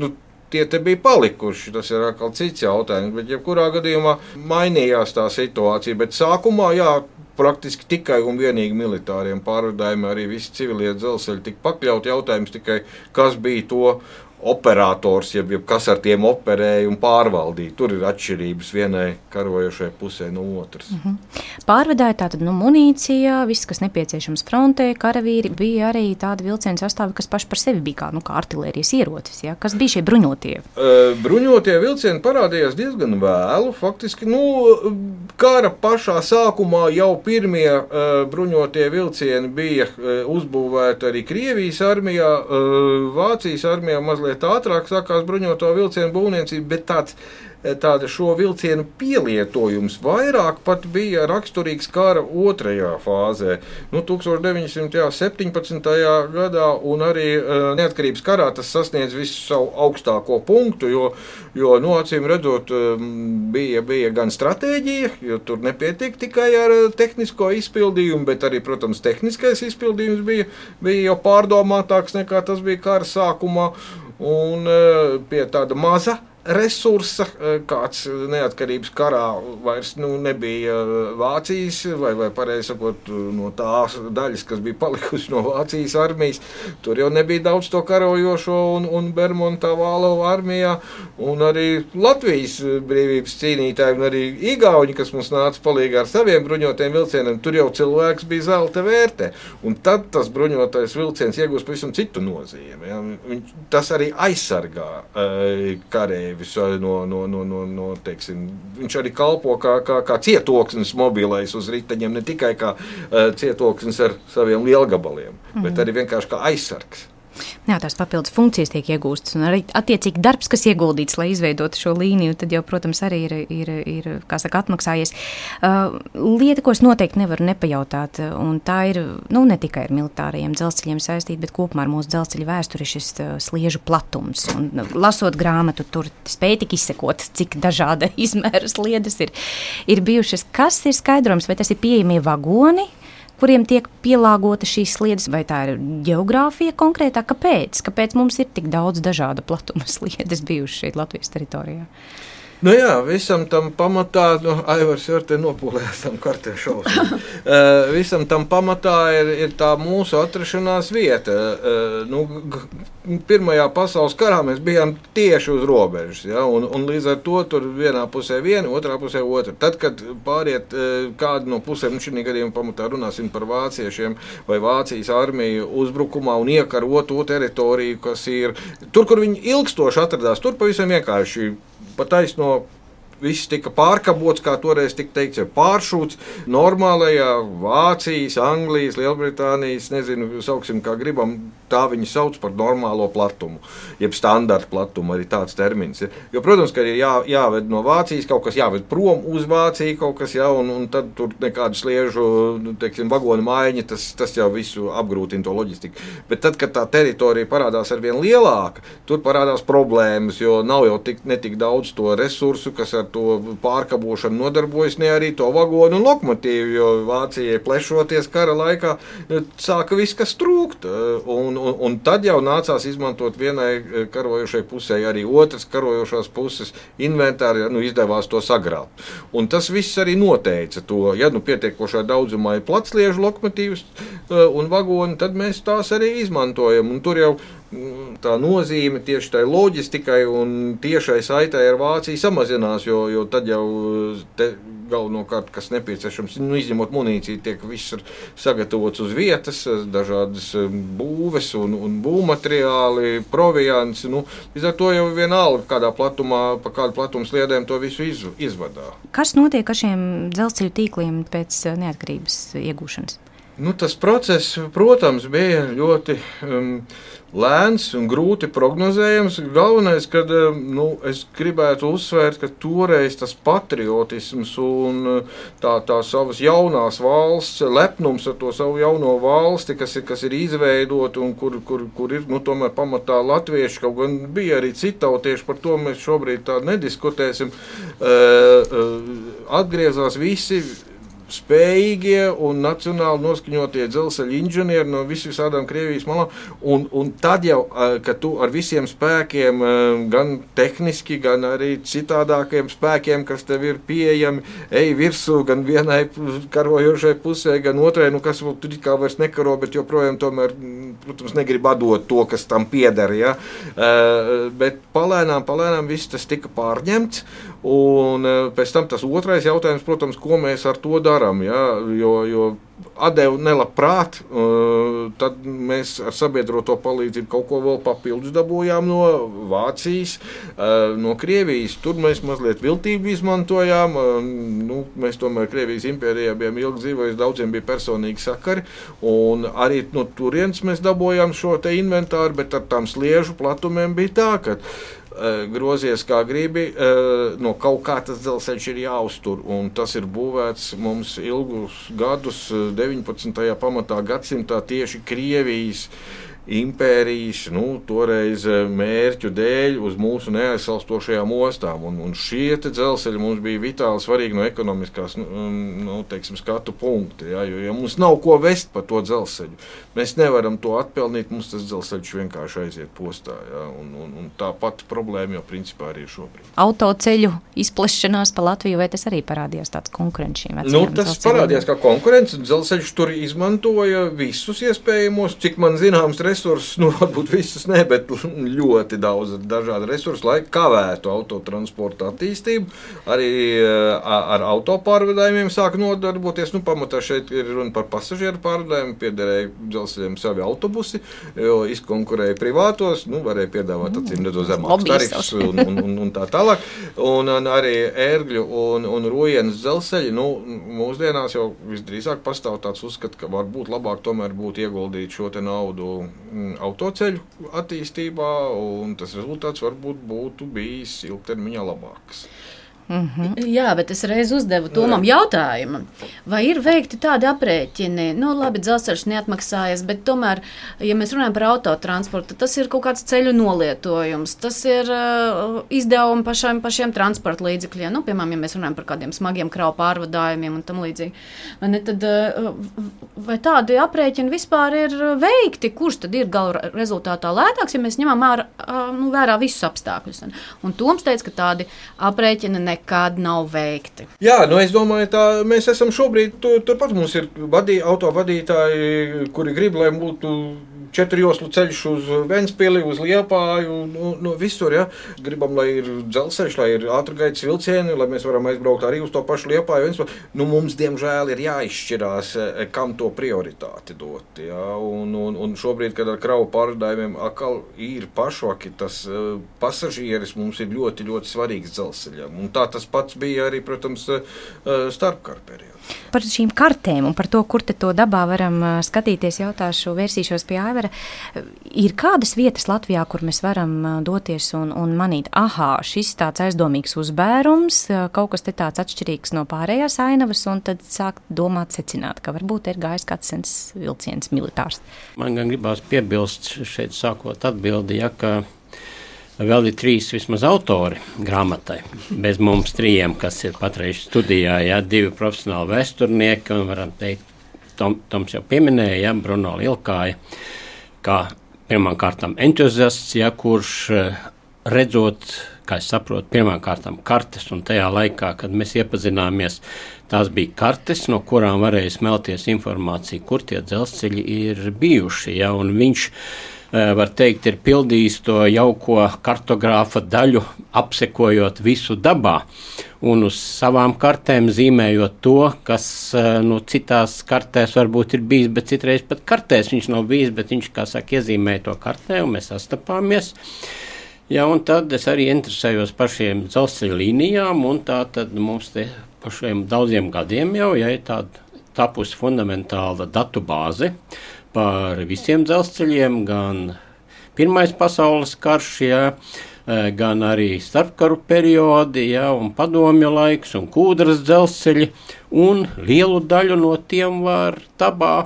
[SPEAKER 6] tie te bija palikuši, tas ir atkal cits jautājums, bet jebkurā gadījumā mainījās tā situācija, bet sākumā, jā, praktiski tikai un vienīgi militāriem pārvadājumiem arī visi civilie dzelzceļi tika pakļauti. Jautājums tikai, kas bija to operators, jeb kas ar tiem operēja un pārvaldīja. Tur ir atšķirības vienai karojošai pusē no otras.
[SPEAKER 2] Pārvadāja tātad munīcija, viss, kas nepieciešams frontē, karavīri, bija arī tādi vilcienu sastāvi, kas paši par sevi bija kā artilērijas ierocis. Ja? Kas bija šie bruņotie?
[SPEAKER 6] Bruņotie vilcieni parādījās diezgan vēlu. Faktiski, kara pašā sākumā jau pirmie bruņotie vilcieni bija uzbūvēti arī Krievijas armijā, Vācijas armijā mazliet ātrāk sākās bruņoto vilcienu būvniecība, bet tāda šo vilcienu pielietojums vairāk pat bija raksturīgs kara otrajā fāzē. 1917. Gadā un arī neatkarības karā tas sasniedz visu savu augstāko punktu, jo acīm redzot bija gan stratēģija, jo tur nepietika tikai ar tehnisko izpildījumu, bet arī, protams, tehniskais izpildījums bija jau pārdomātāks nekā tas bija kara sākumā, un pie tāda maza resursa, kāds neatkarības karā vairs nebija Vācijas, vai pareizi sakot, no tās daļas, kas bija palikusi no Vācijas armijas. Tur jau nebija daudz to karojošo un Bermontā Vālova armijā, un arī Latvijas brīvības cīnītāji, un arī igauņi, kas mums nāca palīgā ar saviem bruņotiem vilcieniem, tur jau cilvēks bija zelta vērtē. Un tad tas bruņotais vilciens iegūst pavisam citu nozīmi. Ja? Tas arī aizsargā karēju. Teiksim, viņš arī kalpo kā cietoksnis mobilais uz riteņiem, ne tikai kā cietoksnis ar saviem lielgabaliem, bet arī vienkārši kā aizsargs.
[SPEAKER 2] Jā, tās papildus funkcijas tiek iegūstas, un arī attiecīgi darbs, kas ieguldīts, lai izveidotu šo līniju, tad jau, protams, arī ir kā saka, atmaksājies. Lieta, ko es noteikti nevaru nepajautāt, un tā ir, ne tikai ar militārajiem dzelzceļiem saistīta, bet kopumā ar mūsu dzelzceļa vēsturi šis sliežu platums. Un, lasot grāmatu, tur spēja tik izsekot, cik dažāda izmēra sliedes ir bijušas. Kas ir skaidrojums, vai tas ir pieejamie vagoni, kuriem tiek pielāgota šīs sliedes, vai tā ir geogrāfija konkrētā? Kāpēc mums ir tik daudz dažāda platuma sliedes bijušas šeit Latvijas teritorijā?
[SPEAKER 6] Nu jā, visam tam pamatā, Aivars jau te nopūlējās tam kartē šausmu. Visam tam pamatā ir tā mūsu atrašanās vieta. Pirmajā pasaules karā mēs bijām tieši uz robežas, ja, un līdz ar to tur vienā pusē viena, otrā pusē otra. Tad, kad pāriet kādu no pusēm, šī gadījumā pamatā runāsim par vāciešiem vai Vācijas armiju uzbrukumā un iekarot to teritoriju, kas ir tur, kur viņi ilgstoši atradās, tur pavisam vienkārši pataisno. Viss tika pārkabots, kā toreiz tika teikts, pāršūts normālajā Vācijas, Anglijas, Lielbritānijas, nezinu, sauksim kā gribam, tā viņi sauc par normālo platumu, jeb standarta platumu, arī tāds termins ir. Jo, protams, ka ir jāved no Vācijas, kaut kas jāved prom uz Vāciju, kaut kas un tad tur nekādu sliežu, teiksim, vagonu maiņa, tas jau visu apgrūtina to loģistiku. Bet tad, kad tā teritorija parādās ar vien lielāka, tur parādās problēmas, jo nav jau netik daudz to resursu, kas ar to pārkabošanu nodarbojas, ne arī to vagonu un lokomotīvu, jo Vācijai plešoties kara laikā sāka viss, kas trūkt. Un tad jau nācās izmantot vienai karojošai pusē, arī otras karojošās puses inventāri, izdevās to sagrābt. Un tas viss arī noteica to, ja pietiekošā daudzumā ir platsliežu lokomotīvas un vagoni, tad mēs tās arī izmantojam. Un tur jau tā nozīme tieši tai loģistikai un tiešai saitai ar Vāciju samazinās, jo tad jau galvenokārt, kas nepieciešams, izņemot munīciju, tiek viss sagatavots uz vietas, dažādas būves un būvmateriāli, proviants. Līdz ar to jau vienalga, kādā platumā, pa kādu platumu sliedēm to visu izvadā.
[SPEAKER 2] Kas notiek ar šiem dzelzceļu tīkliem pēc neatkarības iegūšanas?
[SPEAKER 6] Tas process, protams, bija ļoti lēns un grūti prognozējams. Galvenais, kad es gribētu uzsvērt, ka toreiz tas patriotisms un tā savas jaunās valsts, lepnums ar to savu jauno valsti, kas ir izveidota un kur ir tomēr pamatā latvieši, kaut gan bija arī citautieši, par to mēs šobrīd tā nediskutēsim, atgriezās visi spējīgie un nacionāli noskaņotie dzelzceļa inženieri no visādām Krievijas malām. Un tad jau, kad tu ar visiem spēkiem, gan tehniski, gan arī citādākiem spēkiem, kas tev ir pieejami, ej virsū gan vienai karojošai pusē, gan otrai, kas tur kā vairs nekaro, bet joprojām tomēr, protams, negrib atdot to, kas tam pieder. Ja? Bet palēnām viss tas tika pārņemts. Un pēc tam tas otrais jautājums, protams, ko mēs ar to darām, ja? Jo atdevu nelabprāt, tad mēs ar sabiedroto palīdzību kaut ko vēl papildus dabūjām no Vācijas, no Krievijas. Tur mēs mazliet viltību izmantojām. Mēs tomēr Krievijas impērijā bijām ilgi dzīvojuši, daudziem bija personīgi sakari, un arī no turienes mēs dabūjām šo te inventāru, bet ar tām sliežu platumiem bija tā, ka grozies kā gribi, no kaut kā tas dzelzceļš ir jāuztur, un tas ir būvēts mums ilgus gadus, 19. pamatā gadsimtā tieši Krievijas impērijas, toreiz mērķu dēļ uz mūsu neaizsalstošajām ostām. Un šie dzelzceļi mums bija vitāli svarīgi no ekonomiskās, skatu punkta, ja, jo mums nav ko vest pa to dzelzceļu. Mēs nevaram to atpelnīt, mums tas dzelzceļš vienkārši aiziet postā, ja, un tā pati problēma jau principā arī ir šobrīd.
[SPEAKER 2] Autoceļu izplešanās pa Latviju, vai tas arī parādījās tāds konkurents šīm vecajām
[SPEAKER 6] tas parādījās kā konkurents, dzelzceļš tur izmantoja visus iespējamos, cik man zināms resursus, varbūt visus ne, bet ļoti daudz dažādu resursu, lai kavētu autotransporta attīstību. Arī ar autopārvadājumiem sāk nodarboties. Pamatā šeit ir runa par pasažieru pārvadājumu, piederēja dzelzceļiem savi autobusi, jo izkonkurēja privātos, varēja piedāvāt zemākus tarifus un tā tālāk. Un arī ērgļu un Rujienas dzelzceļi, mūsdienās jau visdrīzāk pastāv tāds uzskats, ka varbūt labāk tomēr būtu ieguldīt šo te naudu autoceļu attīstībā, un tas rezultāts varbūt būtu bijis ilgtermiņā labāks.
[SPEAKER 7] Jā, bet es reiz uzdevu Tomam jautājumu, vai ir veikti tādi aprēķini, labi, dzelzceļš neatmaksājas, bet tomēr, ja mēs runājam par autotransportu, tas ir kaut kāds ceļu nolietojums, tas ir izdevumi pašiem transporta līdzekļiem, piemēram, ja mēs runājam par kādiem smagiem kravu pārvadājumiem un tam līdzīgi. Vai tādi aprēķini vispār ir veikti, kurš tad ir gala rezultātā lētāks, ja mēs ņemam vērā visus apstākļus? Un Toms teica, ka tādi aprēķini nekad nav veikti.
[SPEAKER 6] Jā, es domāju, tā mēs esam šobrīd, turpat mums ir autovadītāji, kuri grib, lai būtu 4 joslu ceļš uz Ventspili, uz Liepāju, visur, ja. Gribam, lai ir dzelzceļš, lai ir ātrgaitas vilcieni, lai mēs varam aizbraukt arī uz to pašu Liepāju, Ventspili. Mums, diemžēl, ir jāizšķirās, kam to prioritāti dot, ja. Un šobrīd, kad ar kravu pārvadājumiem atkal ir pašvaki, tas pasažieris mums ir ļoti, ļoti svarīgs dzelzceļam. Un tā tas pats bija arī, protams, starpkara periodā.
[SPEAKER 2] Par šīm kartēm un par to, kur te to dabā varam skatīties, vērsīšos pie Aivara. Ir kādas vietas Latvijā, kur mēs varam doties un manīt, šis tāds aizdomīgs uzbērums, kaut kas te tāds atšķirīgs no pārējās ainavas, un tad sākt domāt, secināt, ka varbūt ir gājis kāds sens vilciens militārs.
[SPEAKER 8] Man gan gribās piebilst šeit sākot atbildi, ka vēl ir 3 vismaz autori grāmatai, bez mums 3, kas ir patreiz studijā, 2 profesionāli vēsturnieki, un varam teikt, Toms jau pieminēja, Bruno Lielkāja, kā pirmām kārtām entuziasts, kurš redzot, kā es saprotu, pirmām kārtām kartes, un tajā laikā, kad mēs iepazināmies, tās bija kartes, no kurām varēja smelties informācija, kur tie dzelzceļi ir bijuši, un viņš var teikt, ir pildījis to jauko kartogrāfa daļu, apsekojot visu dabā un uz savām kartēm zīmējot to, kas citās kartēs varbūt ir bijis, bet citreiz pat kartēs viņš nav bijis, bet viņš, kā saka, iezīmēja to kartē un mēs sastapāmies. Jā, un tad es arī interesējos par šiem dzelzceļa līnijām, un tā tad mums te par šiem daudziem gadiem jau, ir tāda tapusi fundamentāla datu bāze par visiem dzelzceļiem, gan Pirmais pasaules karš, gan arī starpkaru periodi, un padomju laiks, un Kūdras dzelzceļi, un lielu daļu no tiem var dabā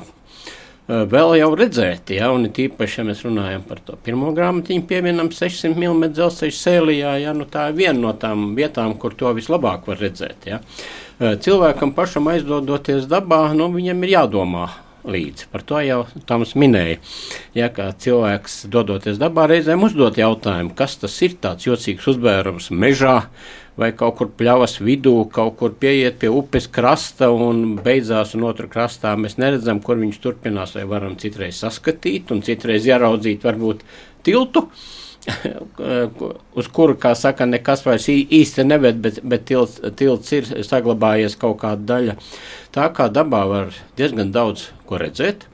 [SPEAKER 8] vēl jau redzēt, un tīpaši, ja mēs runājam par to pirmo grāmatiņu, pieminam 600 mm dzelzceļu Sēlijā, tā ir viena no tām vietām, kur to vislabāk var redzēt, Cilvēkam pašam aizdodoties dabā, viņam ir jādomā līdzi. Par to jau Toms minēja. Kā cilvēks dodoties dabā reizēm uzdot jautājumu, kas tas ir tāds jocīgs uzbērums mežā vai kaut kur pļavas vidū, kaut kur pieiet pie upes krasta un beidzās un otru krastā mēs neredzam, kur viņš turpinās, vai varam citreiz saskatīt un citreiz ieraudzīt varbūt tiltu, uz kuru, kā saka, nekas vairs īsti neved, bet tilts ir saglabājies kaut kāda daļa. Tā kā dabā var diezgan daudz ko redzēt.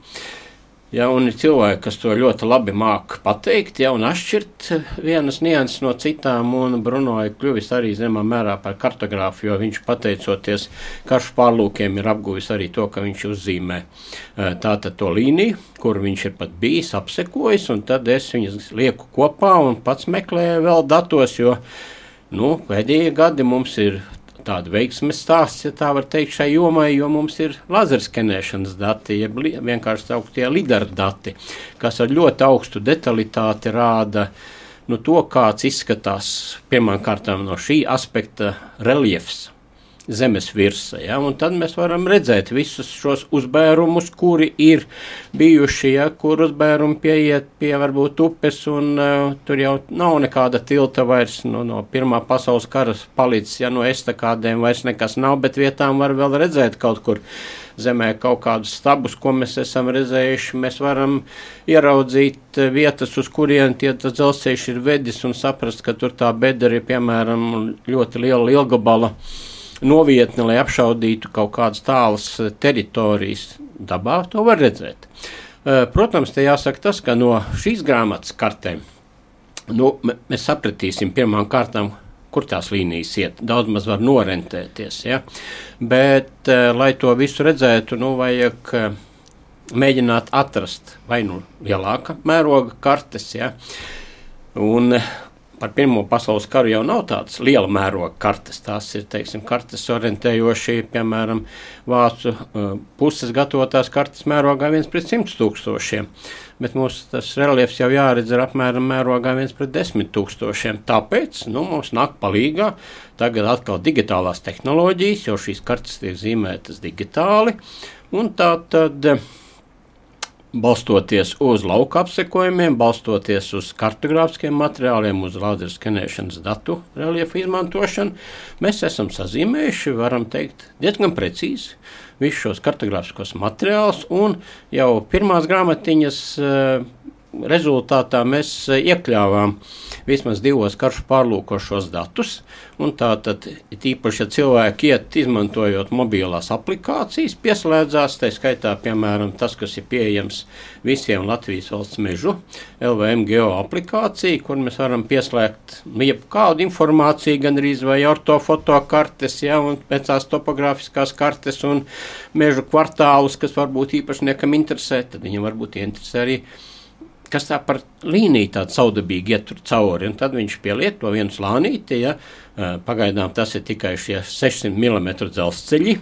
[SPEAKER 8] Un ir cilvēki, kas to ļoti labi māk pateikt, un atšķirt vienas nianses no citām, un Bruno ir kļuvis arī zemā mērā par kartogrāfu, jo viņš pateicoties karšu pārlūkiem ir apguvis arī to, ka viņš uzzīmē tātad to līniju, kur viņš ir pat bijis, apsekojis, un tad es viņas lieku kopā un pats meklēju vēl datos, jo, pēdējie gadi mums ir tāda veiksmes stāsts, tā var teikt, šai jomai, jo mums ir lazerskenēšanas dati, vienkārši sauktie lidar dati, kas ar ļoti augstu detalitāti rāda to, kāds izskatās pirmām kārtām no šī aspekta reliefs zemes virsa, un tad mēs varam redzēt visus šos uzbērumus, kuri ir bijuši, kur uzbērumi pieiet pie varbūt upes, un tur jau nav nekāda tilta vairs, no Pirmā pasaules kara palicis, no estakādēm vairs nekas nav, bet vietām var vēl redzēt kaut kur zemē kaut kādus stabus, ko mēs esam redzējuši. Mēs varam ieraudzīt vietas, uz kurien tas dzelzceļš ir vedis, un saprast, ka tur tā bedra ir, piemēram, ļoti liela lielgabala novietne, lai apšaudītu kaut kādas tālas teritorijas. Dabā to var redzēt. Protams, te jāsaka tas, ka no šīs grāmatas kartēm mēs sapratīsim pirmām kārtām, kur tās līnijas iet. Daudz maz var norentēties, bet, lai to visu redzētu, vajag mēģināt atrast vai lielāka mēroga kartes, un par Pirmo pasaules karu jau nav tādas liela mēroga kartes. Tās ir, teiksim, kartes orientējoši, piemēram, vācu puses gatavotās kartes mērogā 1/100,000. Bet mums tas reliefs jau jāredz ar apmēram mērogā 1/10,000. Tāpēc mums nāk palīgā tagad atkal digitālās tehnoloģijas, jo šīs kartes tiek zīmētas digitāli. Un tā tad balstoties uz lauka apsekojumiem, balstoties uz kartogrāfiskiem materiāliem, uz lāzeru skenēšanas datu reliefu izmantošanu, mēs esam sazīmējuši, varam teikt, diezgan precīzi visus šos kartogrāfiskos materiālus, un jau pirmās grāmatiņas rezultātā mēs iekļāvām vismaz 2 karšu pārlūkošos datus, un tātad tīpaši, ja cilvēki iet izmantojot mobilās aplikācijas, pieslēdzās, tā skaitā, piemēram, tas, kas ir pieejams visiem Latvijas valsts mežu, LVM Geo aplikācija, kur mēs varam pieslēgt jebkādu informāciju, gan arī vai ortofoto kartes, un pēc tās topogrāfiskās kartes un mežu kvartālus, kas varbūt īpašniekam interesē, tad viņam varbūt interesē arī kas tā par līniju tādu saudabīgi iet tur cauri, un tad viņš pieliet to vienu slānīti, pagaidām tas ir tikai šie 600 mm dzelzceļi,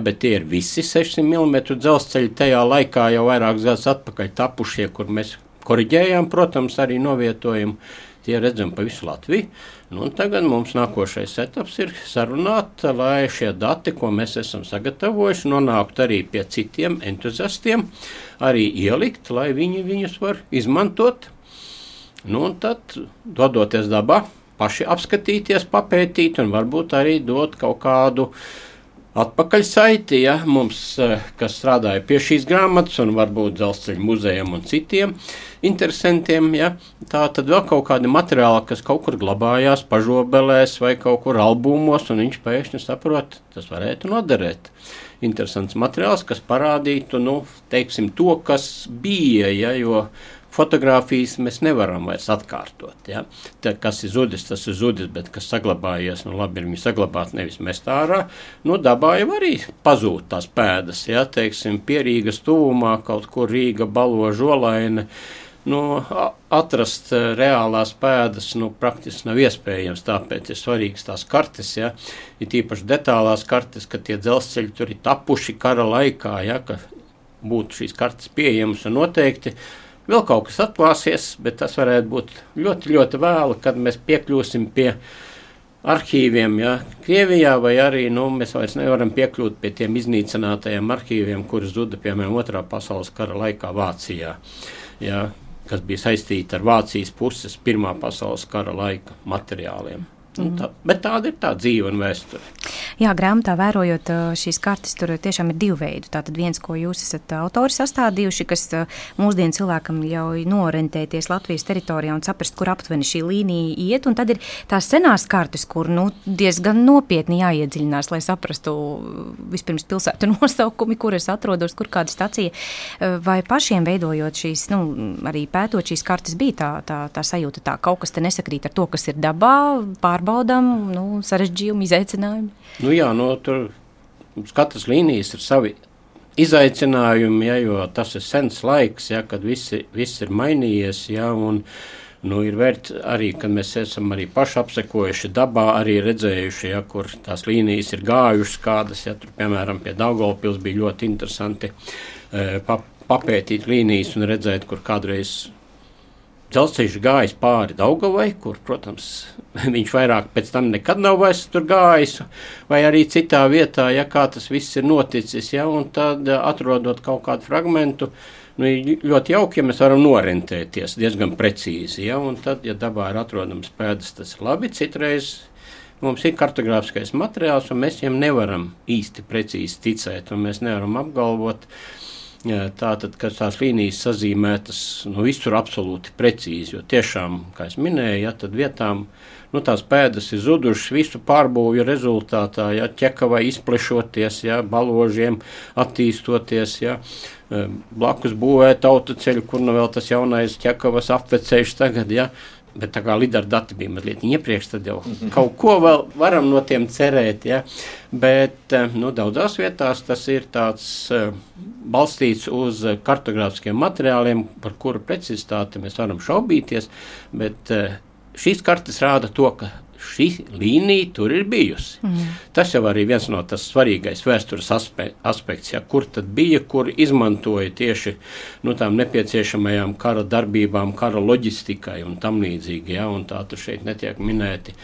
[SPEAKER 8] bet tie ir visi 600 mm dzelzceļi tajā laikā jau vairākus gadus atpakaļ tapušie, kur mēs koriģējām, protams, arī novietojumu, tie redzam pa visu Latviju. Un tagad mums nākošais etaps ir sarunāt, lai šie dati, ko mēs esam sagatavojuši, nonāktu arī pie citiem entuziastiem, arī ielikt, lai viņi viņus var izmantot. Un tad, dodoties dabā, paši apskatīties, papētīt un varbūt arī dot kaut kādu atpakaļsaiti, mums, kas strādāja pie šīs grāmatas un varbūt Dzelzceļa muzejam un citiem interesantiem, tā tad vēl kaut kādi materiāli, kas kaut kur glabājās pažobelēs vai kaut kur albumos, un viņš pēkšņi saprot, tas varētu noderēt. Interesants materiāls, kas parādītu, teiksim, to, kas bija, jo fotogrāfijas mēs nevaram vairs atkārtot. Tā, kas ir zudis, tas ir zudis, bet kas saglabājies, labi ir viņi saglabāt, nevis mest ārā. Dabā jau arī pazūd tās pēdas, teiksim, pie Rīgas tuvumā, kaut kur Rīga, Balo, Žolaine. Atrast reālās pēdas praktiski nav iespējams, tāpēc ir svarīgas tās kartes, ir tīpaši detālās kartes, ka tie dzelzceļi tur ir tapuši kara laikā, ka būtu šīs kartes pieejamas un noteikti. Vēl kaut kas atklāsies, bet tas varētu būt ļoti, ļoti vēlu, kad mēs piekļūsim pie arhīviem, Krievijā, vai arī mēs vairs nevaram piekļūt pie tiem iznīcinātajiem arhīviem, kuri zuda, piemēram, 2. pasaules kara laikā Vācijā, kas bija saistīti ar Vācijas puses 1. pasaules kara laika materiāliem. Bet tāda ir tā dzīve un vēsture.
[SPEAKER 2] Jā, grāmatā vērojot šīs kartes, tur tiešām ir 2 veidi. Tātad viens, ko jūs esat autori sastādījuši, kas mūsdienu cilvēkam ļauj noorientēties Latvijas teritorijā un saprast, kur aptuveni šī līnija iet, un tad ir tās senās kartes, kur diezgan nopietni jāiedziļinās, lai saprastu vispirms pilsētu nosaukumi, kur es atrodos, kur kāda stacija. Vai pašiem veidojot šīs, arī pētot šīs kartes, bija tā sajūta, tā kaut kas te nesakrīt ar to, kas ir dabā, pārbaudām, sarežģījumi, izaicinājumi?
[SPEAKER 8] Tur katras līnijas ir savi izaicinājumi, jo tas ir sens laiks, kad viss ir mainījies, un ir vērts arī, kad mēs esam arī paši apsekojuši dabā, arī redzējuši, kur tās līnijas ir gājušas kādas, tur, piemēram, pie Daugavpils bija ļoti interesanti papētīt līnijas un redzēt, kur kādreiz dzelzceļš gājis pāri Daugavai, kur, protams, viņš vairāk pēc tam nekad nav vairs tur gājis, vai arī citā vietā, kā tas viss ir noticis, un tad atrodot kaut kādu fragmentu, ļoti jauki, ja mēs varam norentēties diezgan precīzi, un tad, ja dabā ir atrodams pēdas, tas ir labi, citreiz mums ir kartogrāfiskais materiāls, un mēs viņam nevaram īsti precīzi ticēt, un mēs nevaram apgalvot, tātad, kad tās līnijas sazīmētas, visur absolūti precīzi, jo tiešām, kā es minēju, tad vietām, tās pēdas ir zudušas visu pārbūvju rezultātā, ķekavai izplešoties, Baložiem attīstoties, blakus būvēt autoceļu, kur vēl tas jaunais ķekavas apveceļš tagad, bet tā kā lidar dati bija mazliet iepriekš, tad jau kaut ko vēl varam no tiem cerēt, bet daudzās vietās tas ir tāds balstīts uz kartogrāfiskiem materiāliem, par kuru precizitāti mēs varam šaubīties, bet šīs kartes rāda to, ka šī līnija tur ir bijusi. Tas jau arī viens no tas svarīgais vēstures aspekts, ja, kur tad bija, kur izmantoja tieši tām nepieciešamajām kara darbībām, kara loģistikai un tam līdzīgi. Ja, un tā tur šeit netiek minēti.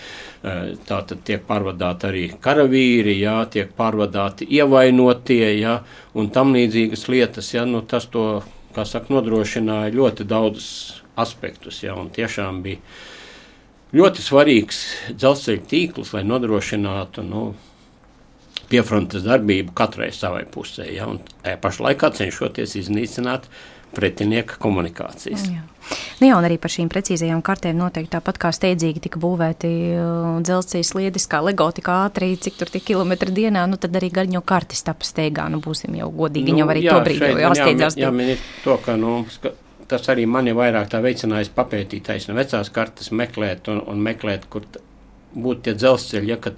[SPEAKER 8] Tā tad tiek pārvadāti arī karavīri, ja, tiek pārvadāti ievainotie, ja, un tam līdzīgas lietas. Ja, tas to, kā saka, nodrošināja ļoti daudz aspektus, ja, un tiešām bija ļoti svarīgs dzelzceļa tīkls, lai nodrošinātu piefrontes darbību katrai savai pusē, ja, un pašlaikā cenšoties iznīcināt pretinieka komunikācijas.
[SPEAKER 2] Jā, un arī par šīm precīzajām kartēm noteikti tāpat kā steidzīgi tika būvēti dzelzceļa sliedes, kā Lego tik ātri, cik tur tie kilometri dienā, tad arī gaļņo kartes tapa steigā, būsim jau godīgi, jau arī to brīdi jau jāsteidzās. Jā, minēt
[SPEAKER 8] to, ka, tas arī mani vairāk tā veicinājis papētīt vecās kartes, meklēt un meklēt, kur būtu tie dzelzceļi, ja, kad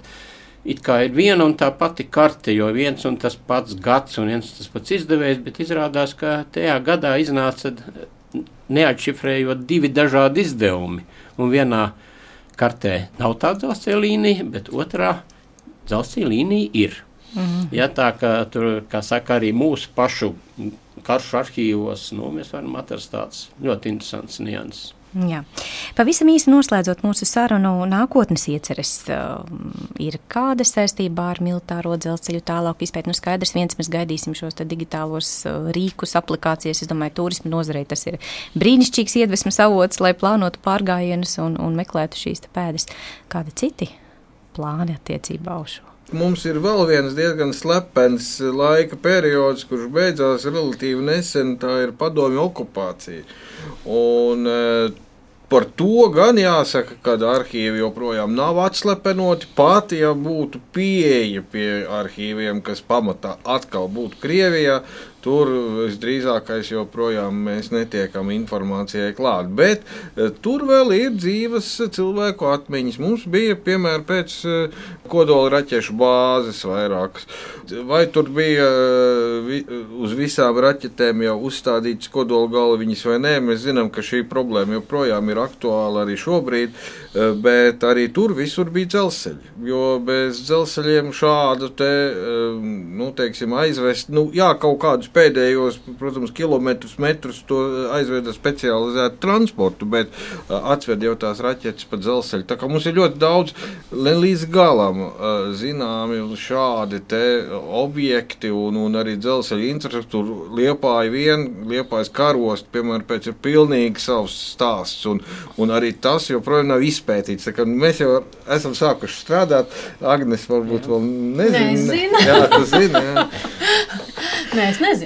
[SPEAKER 8] it kā ir viena un tā pati karte, jo viens un tas pats gads un viens tas pats izdevējs, bet izrādās, ka tajā gadā iznāca neatšifrējot 2 dažādi izdevumi. Un vienā kartē nav tā dzelzceļa līnija, bet otrā dzelzceļa līnija ir. Ja, tā kā tur, kā saka, arī mūsu pašu karšu arhīvos, mēs varam atrast tāds ļoti interesants nianses.
[SPEAKER 2] Jā. Pavisam īsi noslēdzot mūsu sarunu, nākotnes ieceres ir kāda saistībā ar militāro dzelzceļu tālāk izpēt. Skaidrs, mēs gaidīsim šos digitālos rīkus, aplikācijas. Es domāju, turisma nozarei tas ir brīnišķīgs iedvesmas avots, lai plānotu pārgājienus un meklētu šīs pēdas. Kādi citi plāni attiecībā uz šo?
[SPEAKER 6] Mums ir vēl viens diezgan slepens laika periods, kurš beidzās relatīvi nesen, tā ir padomju okupācija. Un par to gan jāsaka, ka arhīvi joprojām nav atslepenoti, pat ja būtu pieeja pie arhīviem, kas pamatā atkal būtu Krievijā. Tur visdrīzākais joprojām mēs netiekam informācijai klāt, bet tur vēl ir dzīves cilvēku atmiņas. Mums bija, piemēram, pēc kodola raķešu bāzes vairākas. Vai tur bija uz visām raķetēm jau uzstādītas kodola galviņas vai nē, mēs zinām, ka šī problēma joprojām ir aktuāla arī šobrīd, bet arī tur visur bija dzelzceļi, jo bez dzelzceļiem šādu teiksim, aizvest, kaut kādus pēdējos, protams, kilometrus, metrus to aizveda specializētu transportu, bet atved jau tās raķetes pa dzelzceļu. Tā kā mums ir ļoti daudz līdz galam zināmi šādi te objekti un arī dzelzceļa infrastruktūra. Liepājas karost, piemēram, pēc ir pilnīgi savs stāsts, un arī tas joprojām nav izpētīts. Tā kā mēs jau esam sākuši strādāt, Agnes varbūt vēl nezina. Jā, tu zini, jā.
[SPEAKER 7] Nē, es nezinu.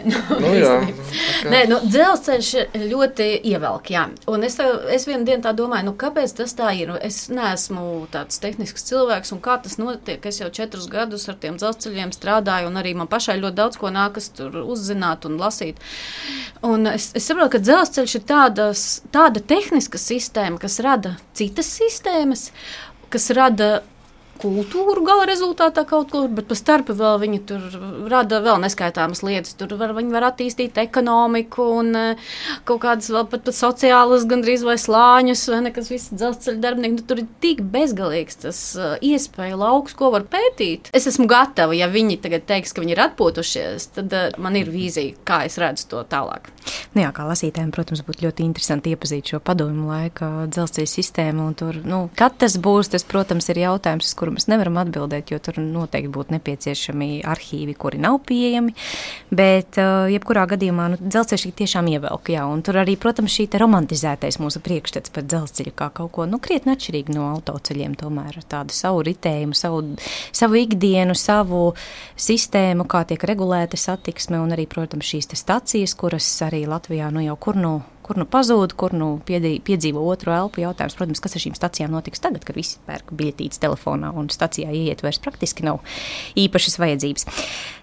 [SPEAKER 7] Dzelzceļš ļoti ievelk, jā. Un es vienu dienu tā domāju, kāpēc tas tā ir? Es neesmu tāds tehnisks cilvēks, un kā tas notiek? Es jau 4 gadus ar tiem dzelzceļiem strādāju, un arī man pašai ļoti daudz ko nākas tur uzzināt un lasīt. Un es saprotu, ka dzelzceļš ir tāda tehniska sistēma, kas rada citas sistēmas, kas rada kultūru gala rezultātā kaut kur, bet pa starpu vēl viņi tur rada vēl neskaitāmas lietas. Tur viņi var attīstīt ekonomiku un kaut kādas vēl pat sociālas gandrīz vai slāņus, vai nekas viss dzelzceļa darbinieki. Tur ir tik bezgalīgs tas iespēja lauks, ko var pētīt. Es esmu gatava, ja viņi tagad teiks, ka viņi ir atpūtušies, tad man ir vīzija, kā es redzu to tālāk.
[SPEAKER 2] Jā, kā lasītājiem, protams, būtu ļoti interesanti iepazīt šo padomju laika dzelzceļa sistēmu. Un tur, kad tas būs, tas, protams, ir jautājums, uz kuru mēs nevaram atbildēt, jo tur noteikti būtu nepieciešami arhīvi, kuri nav pieejami, bet jebkurā gadījumā dzelzceļš tiešām ievelk, jā, un tur arī, protams, šī te romantizētais mūsu priekšstats par dzelzceļu kā kaut ko, krietni atšķirīgi no autoceļiem, tomēr tādu savu ritējumu, savu ikdienu, savu sistēmu, kā tiek regulēta satiksme, un arī, protams, šīs te stacijas, kuras arī Latvijā jau kur pazūd, kur piedzīvo otru elpu. Jautājums, protams, kas ar šīm stacijām notiks tagad, kad visi pērk biļetītes telefonā un stacijā ieiet vairs praktiski nav īpašas vajadzības.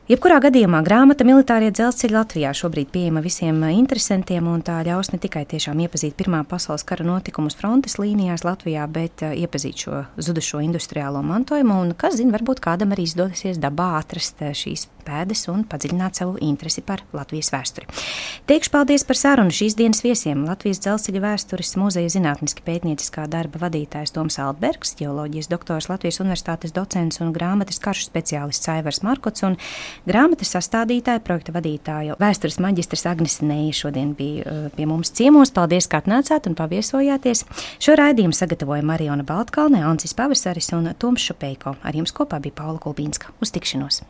[SPEAKER 2] Jebkurā gadījumā grāmata Militārie dzelzceļi Latvijā šobrīd pieejama visiem interesantiem, un tā ļaus ne tikai tiešām iepazīt Pirmā pasaules kara notikumus frontes līnijās Latvijā, bet iepazīt šo zudušo industriālo mantojumu, un, kas zina, varbūt kādam arī izdosies dabā atrast šīs pēdas un padziļināt savu interesi par Latvijas vēsturi. Teikšu paldies par sarunu šīs dienas viesiem. Latvijas Dzelzceļa vēstures muzeja zinātniski pētnieciskā darba vadītājs Toms Altbergs, ģeoloģijas doktors, Latvijas Universitātes docents un grāmatas karšu speciālists Aivars Markots un grāmatas sastādītāja, projekta vadītāja, vēstures maģistrs Agnes Neja šodien bija pie mums ciemos. Paldies, ka atnācāt un paviesojāties. Šo raidījumu sagatavoja Mariona Baltkalne, Ancis Pavasaris un Toms Šupejko. Ar jums kopā bija Paula Gulbīnska. Uz tikšanos!